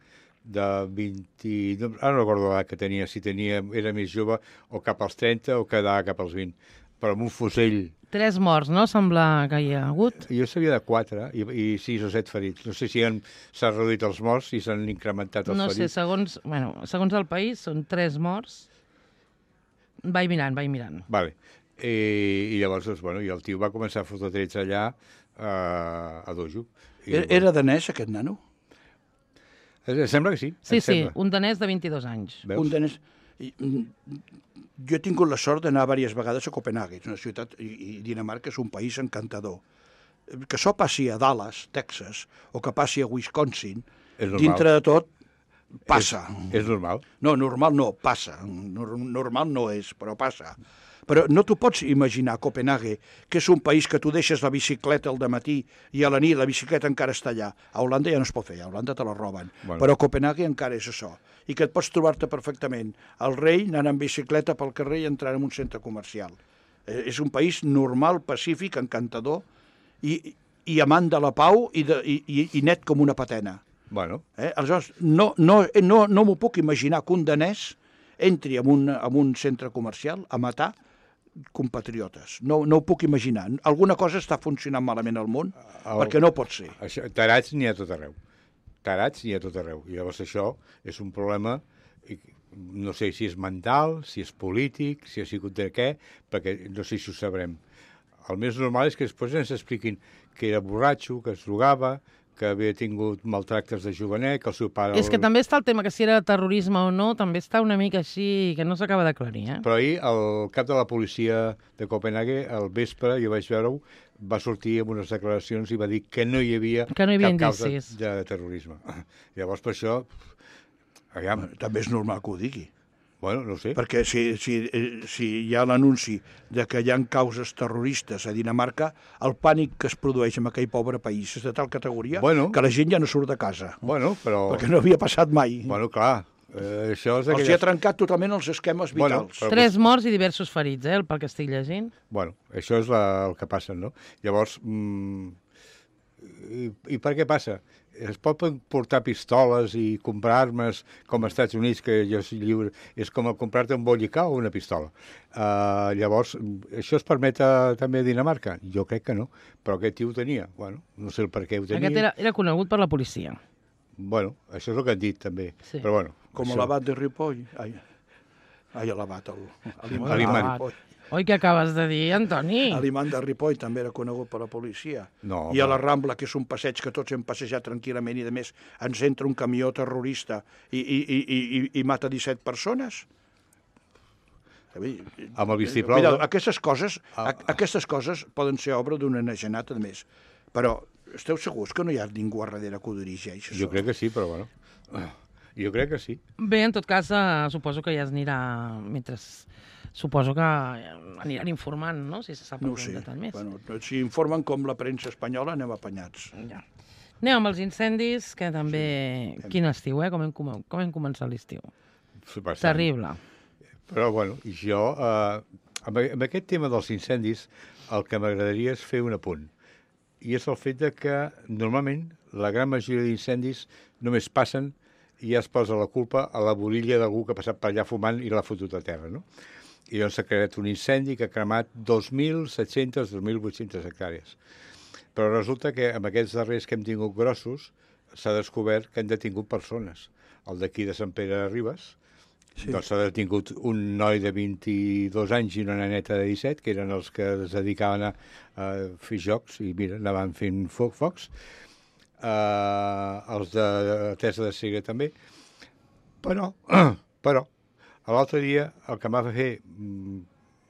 de 20... Ara no recordo l'edat que tenia, si era més jove o cap als 30 o quedava cap als 20. però amb un fusell. 3 morts, no? Sembla que hi ha hagut. Jo sabia de 4 i 6 o 7 ferits. No sé si s'han reduït els morts, si s'han incrementat els No sé, ferits. segons el país, són 3 morts. Vaig mirant. Vale. I llavors, doncs, bueno, i el tio va començar a fotre trets allà a dojo. Era danès, aquest nano? Sembla que sí. Sí, sembla. un danès de 22 anys. Veus? Un danès... Jo he tingut la sort d'anar diverses vegades a Copenhague, és una ciutat, i Dinamarca és un país encantador. Que això passi a Dallas, Texas, o que passi a Wisconsin, És normal. dintre de tot, passa. És normal. No, normal no, passa. Normal no és, però passa. Però no t'ho pots imaginar, Copenhague, que és un país que tu deixes la bicicleta al dematí i a la nit la bicicleta encara està allà. A Holanda ja no es pot fer, a Holanda te la roben. Bueno. Però a Copenhague encara és això. I que et pots trobar-te perfectament el rei anant en bicicleta pel carrer i entrant en un centre comercial. És un país normal, pacífic, encantador i amant de la pau i net com una patena. Bueno, Aleshores, no m'ho puc imaginar que un danès entri en un centre comercial a matar compatriotes. No ho puc imaginar. Alguna cosa està funcionant malament al món, perquè no pot ser. tarats n'hi ha tot arreu. Tarats n'hi ha tot arreu. I llavors això és un problema, no sé si és mental, si és polític, si ha sigut de què, perquè no sé si ho sabrem. El més normal és que després ens expliquin que era borratxo, que es drogava, que havia tingut maltractes de jovenet, que el seu pare... És que també està el tema que si era terrorisme o no, també està una mica així, que no s'acaba d'aclarir, eh? Però ahir el cap de la policia de Copenhague, al vespre, jo vaig veure-ho, va sortir amb unes declaracions i va dir que no hi havia, Que no hi havia cap causa indicis. de terrorisme. Llavors, per això, aviam, També és normal que ho digui. bueno, no ho sé. Perquè si hi ha l'anunci de que hi ha causes terroristes a Dinamarca, el pànic que es produeix en aquell pobre país és de tal categoria que la gent ja no surt de casa. Bueno, però... Perquè no havia passat mai. Bueno, clar, això és Els hi ha trencat totalment els esquemes vitals. però- 3 morts i diversos ferits, pel que estic llegint. Bueno, això és el que passa, no? Llavors, i per què passa? Es pot portar pistoles i comprar armes com als Estats Units, que jo soc lliure, és com comprar-te un bollicà o una pistola. Llavors, això es permet també a Dinamarca? Jo crec que no, però aquest tio ho tenia. Bueno, no sé el per què ho tenia. Aquest era conegut per la policia. Bueno, això és el que han dit, també. Sí. Però bueno, Com això... l'abat de Ripoll. L'abat, L'imant. de Ripoll. Oi, què acabes de dir, Antoni? L'imant de Ripoll també era conegut per la policia. No, I a la Rambla, que és un passeig que tots hem passejat tranquil·lament i, a més, ens entra un camió terrorista i mata 17 persones. Amb el vistiplau. Mira, aquestes coses poden ser obra d'un enagenat, a més. Però esteu segurs que no hi ha ningú a darrere que ho dirigeix? Jo crec que sí, però bueno. Jo crec que sí. Bé, en tot cas, suposo que ja es anirà, mentre... Suposo que aniran informant, no?, si se sap No ho algun sé. detall més. Bueno, si informen com la premsa espanyola, anem apanyats. Ja. Anem amb els incendis, que també... Sí. Quin estiu, com hem començat l'estiu. Bastant. Terrible. Però, bueno, jo, amb aquest tema dels incendis, el que m'agradaria és fer un apunt. I és el fet de que, normalment, la gran majoria d'incendis només passen i ja es posa la culpa a la borilla d'algú que ha passat per allà fumant i l'ha fotut a terra, no? I llavors s'ha creat un incendi que ha cremat 2.700, 2.800 hectàrees. Però resulta que amb aquests darrers que hem tingut grossos s'ha descobert que han detingut persones. El d'aquí de Sant Pere de Ribes, sí. Doncs s'ha detingut un noi de 22 anys i una neneta de 17, que eren els que es dedicaven a fer jocs i, mira, anaven fent focs. Els de Teresa de Segre també. Però, l'altre dia el que em va fer,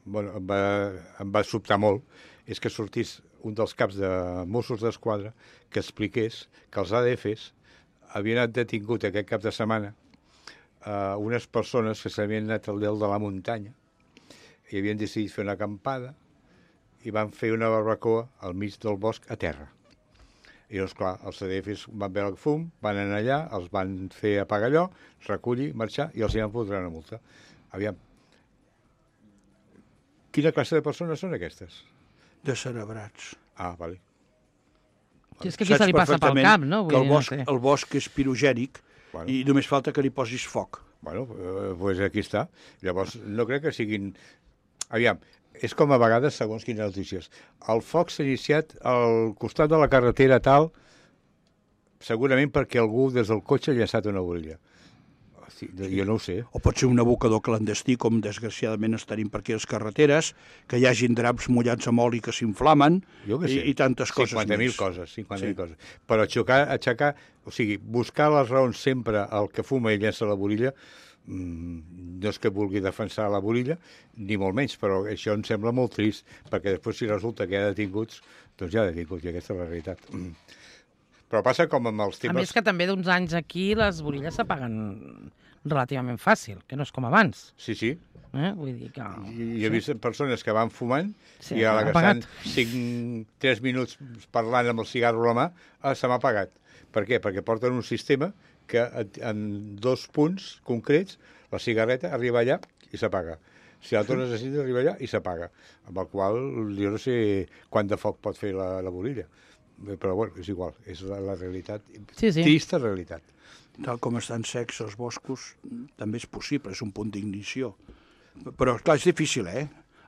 bueno, em va sobtar molt, és que sortís un dels caps de Mossos d'Esquadra que expliqués que els ADFs havien anat detingut aquest cap de setmana unes persones que s'havien anat al dalt de la muntanya i havien decidit fer una acampada i van fer una barbacoa al mig del bosc a terra. I doncs, clar, els ADFs van veure el fum, van anar allà, els van fer apagar allò, recollir, marxar, i els hi van fotre una multa. Aviam, quina classe de persones són aquestes? Descerebrats. Ah, vale. Si és que aquí se li passa pel cap, no? Que el bosc és pirogènic, Bueno. i només falta que li posis foc. Bueno, doncs aquí està. Llavors, no crec que siguin... Aviam, és com a vegades, segons quines notícies. El foc s'ha iniciat al costat de la carretera tal, segurament perquè algú des del cotxe ha llançat una burilla. Sí, jo no ho sé. O pot ser un abocador clandestí, com desgraciadament es tenim per aquí a les carreteres, que hi hagin draps mullats amb oli que s'inflamen i tantes coses 50.000 coses, 50.000 coses. Però aixecar, o sigui, buscar les raons sempre al que fuma i llença la burilla, no és que vulgui defensar la burilla, ni molt menys, però això em sembla molt trist, perquè després si resulta que hi ha detinguts, doncs hi ha detinguts, i aquesta és la realitat. Però passa com amb els temes... A més que també d'uns anys aquí les burilles s'apaguen relativament fàcil, que no és com abans. Sí. Vull dir que... I he vist persones que van fumant sí, i a la que estan 3 minuts parlant amb el cigarro a la mà, se m'ha apagat. Per què? Perquè porten un sistema que en 2 punts concrets la cigarreta arriba allà i s'apaga. Si la tornes a sentir, arriba allà i s'apaga. Amb el qual jo no sé quant de foc pot fer la burilla. Però bueno, és igual, és la realitat. Sí. Trista realitat. Tal com estan secs els boscos, també és possible, és un punt d'ignició. Però, clar, és difícil,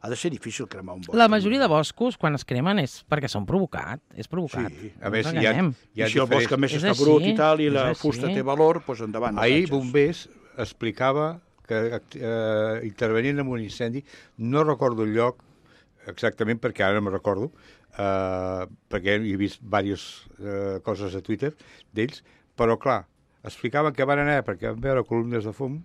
Ha de ser difícil cremar un bosc. La majoria de boscos, quan es cremen, és perquè són provocats. És provocat. Sí. A més, I si el bosc a més està brut i tal, i la fusta té valor, doncs endavant. Ahir Bombers explicava que intervenint en un incendi, no recordo el lloc exactament perquè ara no me'n recordo, perquè he vist diverses coses a Twitter d'ells, però clar, explicaven que van anar perquè van veure columnes de fum,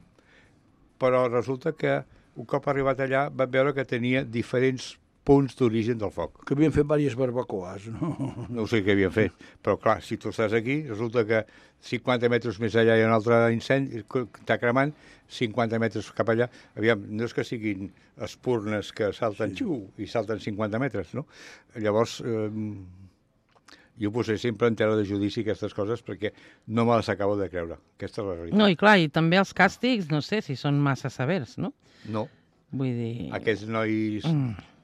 però resulta que un cop arribat allà van veure que tenia diferents punts d'origen del foc. Que havien fet diverses barbacoes, no? No sé què havien fet, però clar, si tu estàs aquí, resulta que 50 metres més allà hi ha un altre incendi, està cremant, 50 metres cap allà, aviam, no és que siguin espurnes que salten i salten 50 metres, no? Llavors, jo posé sempre en tela de judici aquestes coses perquè no me les acabo de creure. Aquesta és la realitat. No, i clar, i també els càstigs, no sé si són massa severs, no? No. Vull dir... Aquests nois,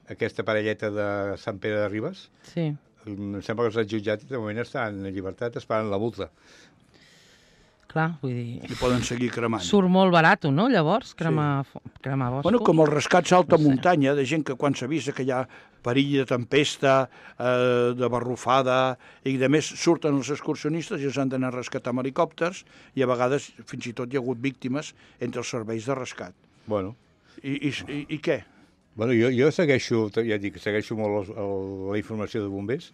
aquesta parelleta de Sant Pere de Ribes, sí. Em sembla que els han jutjat i de moment estan en llibertat esperant la multa. Clar, vull dir... I poden seguir cremant. Surt molt barat, no, llavors, cremar boscos? Bueno, com els rescats a alta muntanya, de gent que quan s'avisa que hi ha perill de tempesta, de barrufada, i a més surten els excursionistes i els han d'anar a rescatar amb helicòpters, i a vegades fins i tot hi ha hagut víctimes entre els serveis de rescat. Bueno. I què? Bueno, jo segueixo, ja dic, segueixo molt la informació de bombers,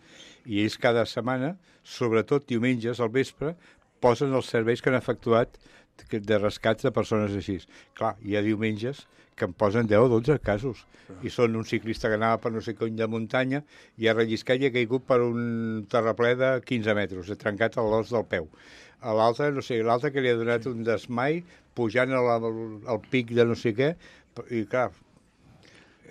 i ells cada setmana, sobretot diumenges al vespre, posen els serveis que han efectuat de rescats de persones així. Clar, hi ha diumenges que em posen 10 o 12 casos. I són un ciclista que anava per no sé cony de muntanya i ha relliscat i ha caigut per un terraplè de 15 metres, ha trencat l'os del peu. A l'altre, no sé, l'altre que li ha donat un desmai pujant al pic de no sé què, i clar,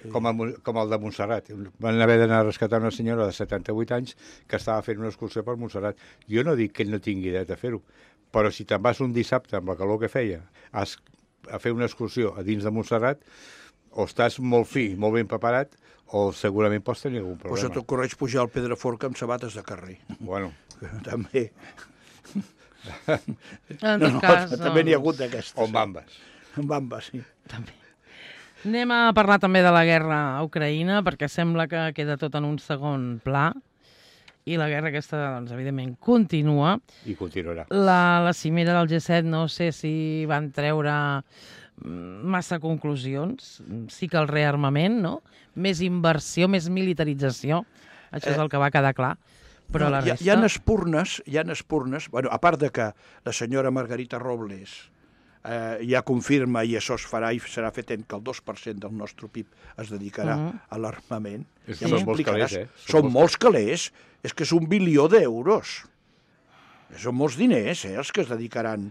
com el de Montserrat. Van haver d'anar a rescatar una senyora de 78 anys que estava fent una excursió per Montserrat. Jo no dic que ell no tingui dret a fer-ho, però si te'n vas un dissabte amb la calor que feia a fer una excursió a dins de Montserrat, o estàs molt fi, molt ben preparat, o segurament pots tenir algun problema. O se t'ocorreix pujar al Pedraforca amb sabates de carrer. Bueno. També. També n'hi ha hagut d'aquestes. O amb bambes. Amb bambes, sí. També. Anem a parlar també de la guerra a Ucraïna, perquè sembla que queda tot en un segon pla, i la guerra aquesta, doncs, evidentment, continua. I continuarà. La cimera del G7 no sé si van treure massa conclusions. Sí que el rearmament, no? Més inversió, més militarització. Això és el que va quedar clar. Però la resta... Hi ha espurnes, bueno, a part de que la senyora Margarita Robles ja confirma, i això es farà i serà fet que el 2% del nostre PIB es dedicarà a l'armament. Sí. Són molts calés, Són molts calés, és que és 1 bilió d'euros. Són molts diners, els que es dedicaran.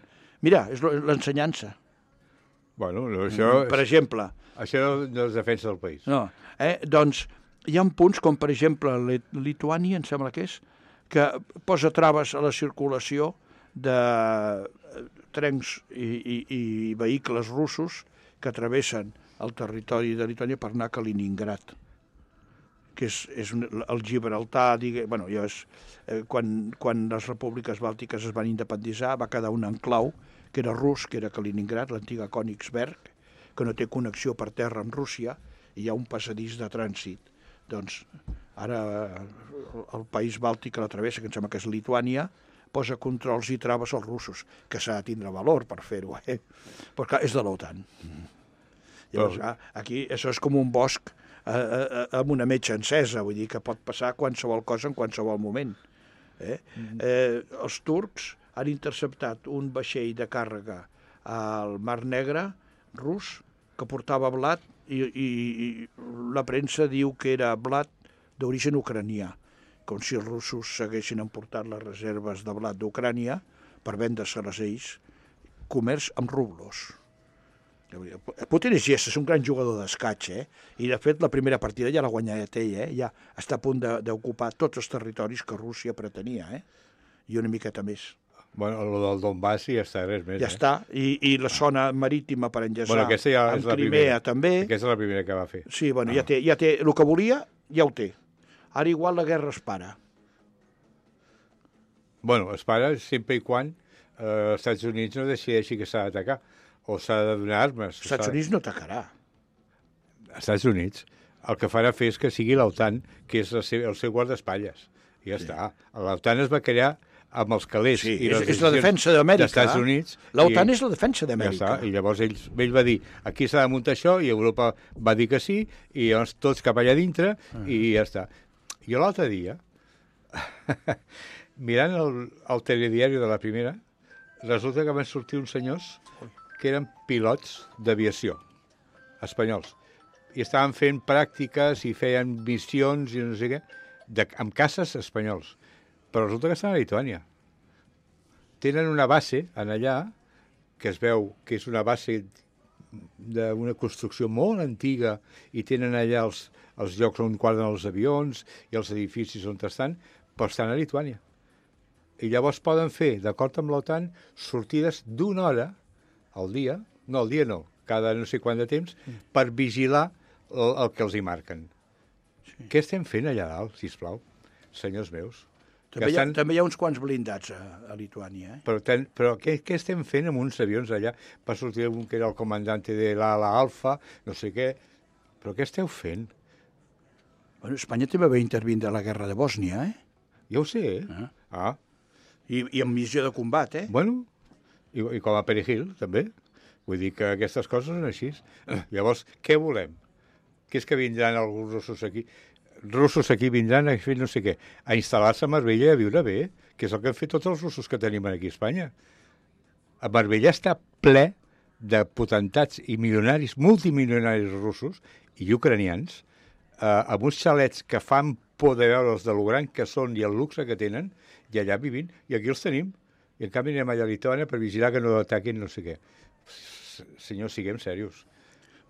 Mira, és l'ensenyança. Bueno, això... Per exemple. Això no és defensa del país. No, doncs hi ha punts com, per exemple, Lituània, em sembla que és, que posa traves a la circulació de trens i vehicles russos que travessen el territori de Lituània per anar a Kaliningrad, que és el Gibraltar, bueno, ja és, quan les repúbliques bàltiques es van independitzar va quedar un enclau que era rus, que era Kaliningrad, l'antiga Königsberg, que no té connexió per terra amb Rússia, hi ha un passadís de trànsit. Doncs ara el país bàltic que la travessa, que em sembla que és Lituània, posa controls i traves als russos, que s'ha de tindre valor per fer-ho, Però clar, és de l'OTAN. Llavors, aquí això és com un bosc amb una metxa encesa, vull dir que pot passar qualsevol cosa en qualsevol moment. Els turcs han interceptat un vaixell de càrrega al Mar Negre rus que portava blat i la premsa diu que era blat d'origen ucranià, com si els russos s'haguessin emportat les reserves de blat d'Ucrània per vendre-se-les ells, comerç amb rublos. Putin és un gran jugador d'escaig, i de fet la primera partida ja l'ha guanyat ell, ja està a punt d'ocupar tots els territoris que Rússia pretenia, i una miqueta més. Bueno, el del Donbass ja està, res més. Ja està, i la zona marítima per enllaçar ja amb Crimea també. Aquesta és la primera que va fer. Sí, bueno, ja té, el que volia ja ho té. Ara igual la guerra es para. Bueno, es para sempre i quan els Estats Units no decideixi que s'ha d'atacar o s'ha de donar armes. Els Estats Units no atacarà. Els Estats Units el que farà fer és que sigui l'OTAN, que és el seu guardaespatlles. I ja està. L'OTAN es va crear amb els calés i les és la defensa d'Amèrica. D'Estats Units. L'OTAN és la defensa d'Amèrica. Ja està. I llavors ell va dir, aquí s'ha de muntar això, i Europa va dir que sí, i llavors tots cap allà dintre, i ja està. Jo l'altre dia, mirant el telediari de la primera, resulta que van sortir uns senyors que eren pilots d'aviació, espanyols, i estaven fent pràctiques i feien missions i no sé què, amb caces espanyols. Però resulta que estan a Lituània. Tenen una base en allà, que es veu que és una base d'una construcció molt antiga, i tenen allà els llocs on guarden els avions i els edificis on estan, però estan a Lituània. I llavors poden fer, d'acord amb l'OTAN, sortides d'una hora al dia, cada no sé quant de temps, per vigilar el que els hi marquen. Sí. Què estem fent allà dalt, sisplau, senyors meus? També hi ha uns quants blindats a Lituània. Però què estem fent amb uns avions allà? Va sortir un que era el comandante de l'ala Alfa, no sé què. Però què esteu fent? Bueno, Espanya també va intervindre a la guerra de Bòsnia, Ja ho sé, I amb missió de combat, Bueno, i com a Perejil, també. Vull dir que aquestes coses són així. Llavors, què volem? Que és que vindran alguns russos aquí vindran a fer no sé què, a instal·lar-se a Marbella i a viure bé, que és el que han fet tots els russos que tenim aquí a Espanya. A Marbella està ple de potentats i milionaris, multimilionaris russos i ucranians, amb uns xalets que fan por de veure'ls de lo gran que són i el luxe que tenen, i allà vivint, i aquí els tenim. I en canvi anem allà a Lituània per vigilar que no ataquin no sé què. Senyors, siguem serios.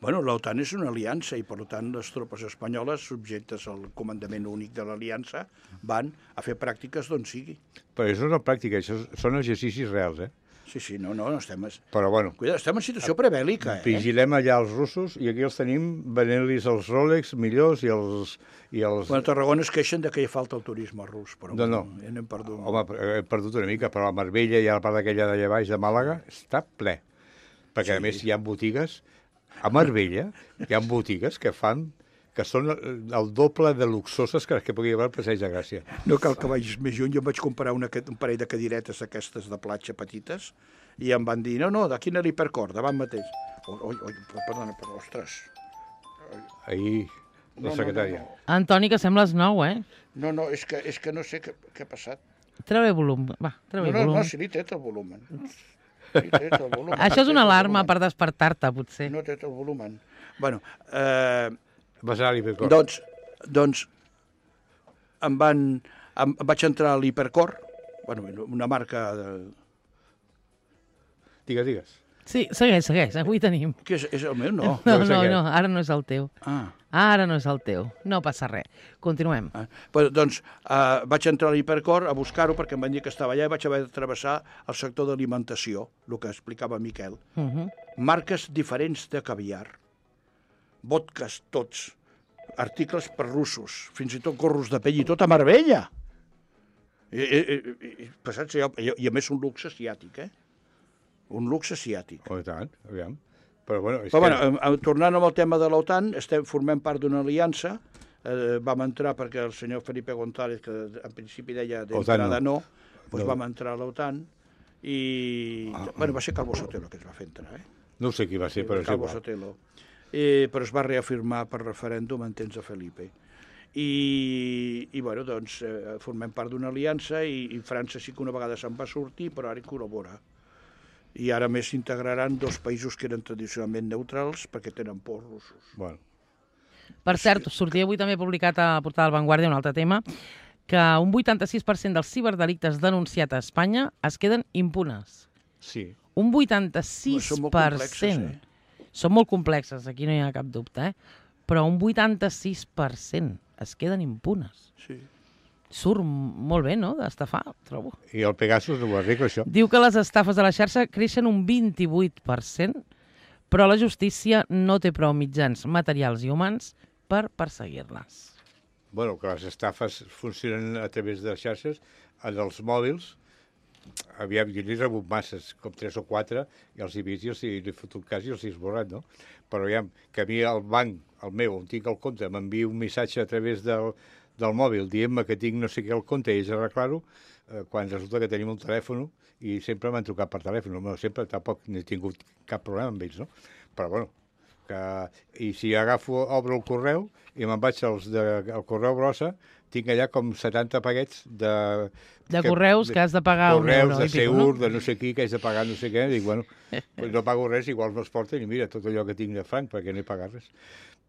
Bueno, l'OTAN és una aliança i, per tant, les tropes espanyoles, subjectes al comandament únic de l'aliança, van a fer pràctiques d'on sigui. Però això no és pràctica, això són exercicis reals, Sí, no estem... Però, bueno... Cuida, estem en situació prebèl·lica, Vigilem allà els russos i aquí els tenim venent-los els Rolex millors i els... Bueno, a Tarragona es queixen que hi falta el turisme rus, però no. N'hem perdut. Home, hem perdut una mica, però a Marbella i a la part aquella d'allà baix de Màlaga està ple. Perquè, a més, hi ha botigues... A Marbella hi ha botigues que són el doble de luxoses que pugui haver al Passeig de Gràcia. No cal que vagis més lluny, jo em vaig comprar un parell de cadiretes aquestes de platja petites i em van dir, no, d'aquí a l'Hipercor, davant mateix. Perdona, ostres. Ahir, la secretària. Antoni, que sembles nou, No, és que no sé què ha passat. Treu-li volum, va, treu-li volum. No, si li té el volum. Això és una alarma per despertar-te, potser. No té el volum. Bueno, Vas anar a l'Hipercor. Doncs vaig entrar a l'Hipercor, bueno, una marca de... Digues. Sí, segueix, avui tenim. Que és el meu? No. No, ara no és el teu. Ara no és el teu. No passa res. Continuem. Doncs vaig entrar a l'Hipercor a buscar-ho perquè em van dir que estava allà i vaig haver de travessar el sector d'alimentació, el que explicava Miquel. Marques diferents de caviar, vodkas tots, articles per russos, fins i tot gorros de pell i tot a Marbella. I a més un luxe asiàtic, Un luxe asiàtic. Oh, i tant, aviam. Però, bueno, tornant amb el tema de l'OTAN, formem part d'una aliança, vam entrar perquè el senyor Felipe González, que en principi deia d'entrada no, doncs vam entrar a l'OTAN i... va ser Calvo Sotelo que es va fer entrar, No sé qui va ser, però és Calvo igual. Sotelo. Però es va reafirmar per referèndum en temps de Felipe. I bueno, doncs, formem part d'una aliança i França sí que una vegada se'n va sortir, però ara hi col·labora. I ara més s'integraran 2 països que eren tradicionalment neutrals perquè tenen por russos. Bueno. Per cert, sortia avui també publicat a la portada del Vanguardia un altre tema, que un 86% dels ciberdelictes denunciats a Espanya es queden impunes. Sí. Un 86%. Són molt complexes, Són molt complexes, aquí no hi ha cap dubte, però un 86% es queden impunes. Sí. Surt molt bé, no?, d'estafar, trobo. I el Pegasus no ho arregla, això. Diu que les estafes a la xarxa creixen un 28%, però la justícia no té prou mitjans materials i humans per perseguir-les. Bueno, que les estafes funcionen a través de xarxes, en els mòbils. Aviam, jo n'he rebut masses, com 3 o 4, i els he vist i els he fotut cas i els he esborrat, no? Però aviam, que a mi el banc, el meu, on tinc el compte, m'envia un missatge a través del mòbil dient-me que tinc no sé què al compte i ells arreglar-ho, quan resulta que tenim un telèfon i sempre m'han trucat per telèfon. Bueno, sempre tampoc n'he tingut cap problema amb ells, no? Però, bueno, i si obro el correu i me'n vaig al correu brossa, tinc allà com 70 paquets de correus que has de pagar un euro. Correus de Seur, de no sé qui, que haig de pagar no sé què. Dic, bueno, pues no pago res, igual me'ls porten i mira, tot allò que tinc de franc, perquè no he pagat res.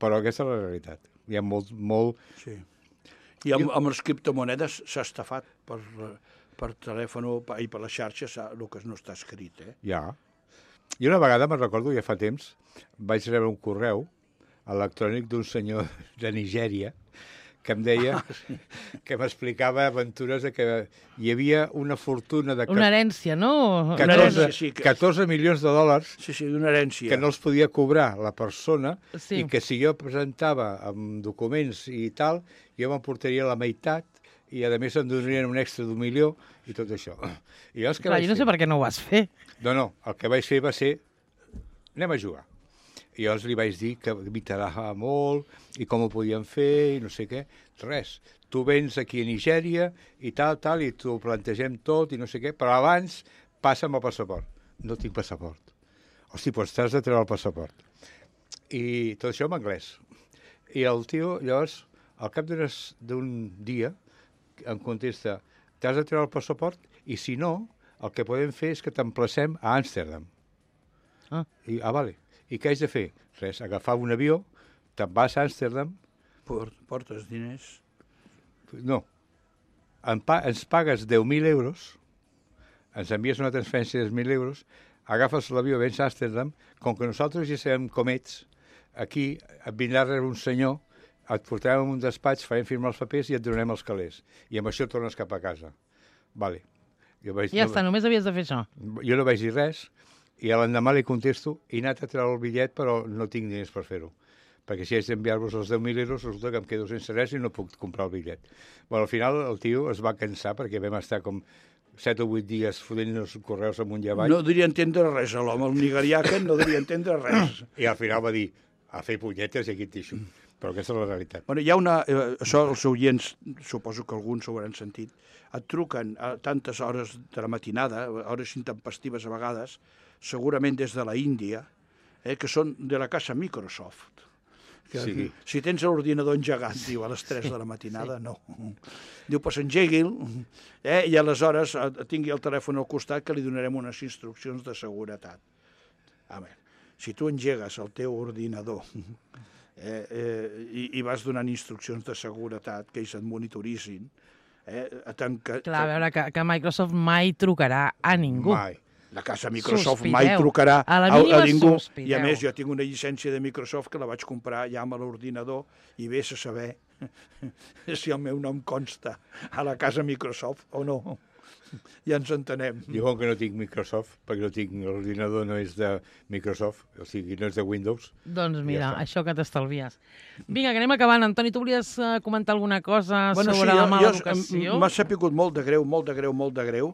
Però aquesta és la realitat. Hi ha molt... Sí. I amb les criptomonedes s'ha estafat per telèfon i per les xarxes el que no està escrit, Ja. I una vegada, me'n recordo, ja fa temps, vaig rebre un correu electrònic d'un senyor de Nigèria que em deia, que m'explicava aventures de que hi havia una fortuna de... Una herència, no? 14 milions de dòlars sí, d'una herència. Que no els podia cobrar la persona sí. I que si jo presentava amb documents i tal, jo m'emportaria la meitat i a més em donarien un extra d'1 milió i tot això. I llavors, Clar, jo no sé per què no ho vas fer. No, el que vaig fer va ser anem a jugar. I llavors li vaig dir que m'interessava molt i com ho podíem fer i no sé què. Res, tu vens aquí a Nigèria i tal, i t'ho plantegem tot i no sé què, però abans passa'm el passaport. No tinc passaport. Hosti, doncs t'has de treure el passaport. I tot això en anglès. I el tio, llavors, al cap d'un dia, em contesta, t'has de treure el passaport i si no, el que podem fer és que t'emplacem a Amsterdam. I, vale. I què haig de fer? Res, agafar un avió, te'n vas a Amsterdam... Portes diners? No. Ens pagues 10.000 euros, ens envies una transferència de 10.000 euros, agafes l'avió, vens a Amsterdam, com que nosaltres ja sabem com ets, aquí et vindrà a rebre un senyor, et portarem a un despatx, farem firmar els papers i et donarem els calés. I amb això tornes cap a casa. Vale. Ja està, només havies de fer això. Jo no vaig dir res, i l'endemà li contesto, he anat a treure el bitllet, però no tinc diners per fer-ho. Perquè si haig d'enviar-vos els 10.000 euros, resulta que em quedo sense res i no puc comprar el bitllet. Bueno, al final el tio es va cansar, perquè vam estar com 7 o 8 dies fotent els correus amunt i avall. No diria entendre res, l'home, el nigerià aquest no diria entendre res. I al final va dir, a fer punyetes i aquí et deixo. Però aquesta és la realitat. Bueno, hi ha una... això els oients, suposo que alguns ho hauran sentit, et truquen a tantes hores de la matinada, hores intempestives a vegades, segurament des de la Índia, que són de la casa Microsoft. Que, sí. Si tens l'ordinador engegat, diu, a les 3 de la matinada, no. Diu, pues engegui'l, i aleshores tingui el telèfon al costat que li donarem unes instruccions de seguretat. A veure, si tu engegues el teu ordinador i vas donant instruccions de seguretat, que ells et monitoritzin, clar, a veure, que Microsoft mai trucarà a ningú. Mai. La casa Microsoft mai trucarà a ningú. I a més, jo tinc una llicència de Microsoft que la vaig comprar ja amb l'ordinador i vés a saber si el meu nom consta a la casa Microsoft o no. Ja ens entenem. Jo com que no tinc Microsoft, perquè no tinc l'ordinador no és de Microsoft, o sigui, no és de Windows. Doncs mira, això que t'estalvies. Vinga, que anem acabant. Antoni, tu volies comentar alguna cosa sobre la mala educació? M'ha sapigut molt de greu.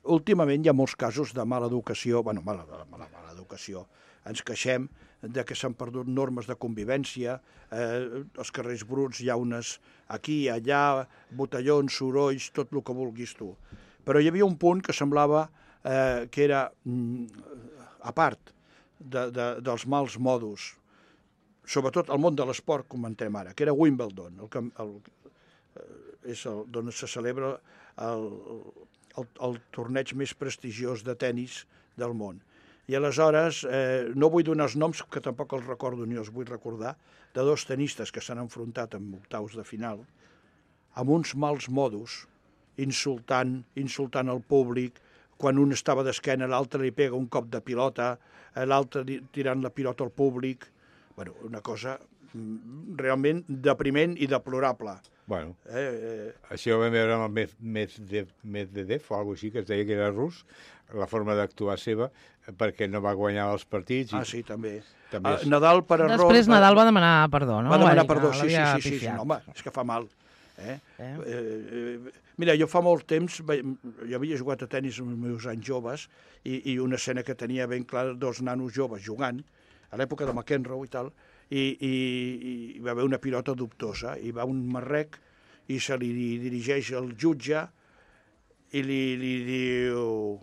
Últimament hi ha molts casos de mala educació, mala educació, ens queixem de que s'han perdut normes de convivència, els carrers bruts, llaunes aquí, allà, botellons, sorolls, tot el que vulguis tu. Però hi havia un punt que semblava que era a part dels mals modos, sobretot el món de l'esport, comentem ara, que era Wimbledon, és d'on se celebra el torneig més prestigiós de tennis del món. I aleshores, no vull donar els noms, que tampoc els recordo ni els vull recordar, de dos tenistes que s'han enfrontat en octaus de final, amb uns mals modos, insultant el públic, quan un estava d'esquena, l'altre li pega un cop de pilota, l'altre tirant la pilota al públic. Bueno, una cosa realment depriment i deplorable. Bueno, això ho vam veure amb el Medvedev o alguna cosa així, que es deia que era rus, la forma d'actuar seva, perquè no va guanyar els partits. Ah, sí, també. És... Nadal per error... Després Nadal va demanar perdó, no? Va demanar perdó, sí, home, és que fa mal. Mira, jo fa molt temps, jo havia jugat a tenis en els meus anys joves, i una escena que tenia ben clara, dos nanos joves jugant, a l'època de McEnroe i tal, i va haver una pilota dubtosa, i va un marrec i se li dirigeix al jutge i li diu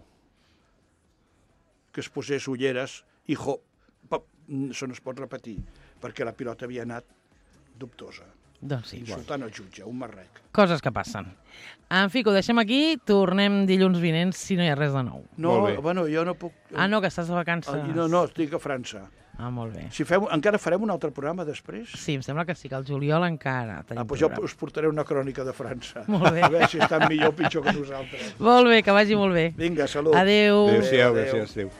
que es posés ulleres, hijo, això no es pot repetir, perquè la pilota havia anat dubtosa. Doncs sí. Insultant el jutge, un marrec. Coses que passen. En fi, que ho deixem aquí, tornem dilluns vinents si no hi ha res de nou. No, bueno, jo no puc... Ah, no, que estàs de vacances. No, estic a França. Ah, molt bé. Si encara farem un altre programa després? Sí, em sembla que sí, que el juliol encara tenim doncs jo us portaré una crònica de França. Molt bé. A veure si estan millor o pitjor que nosaltres. Molt bé, que vagi molt bé. Vinga, salut. Adéu. Adéu-siau, gràcies. Adéu.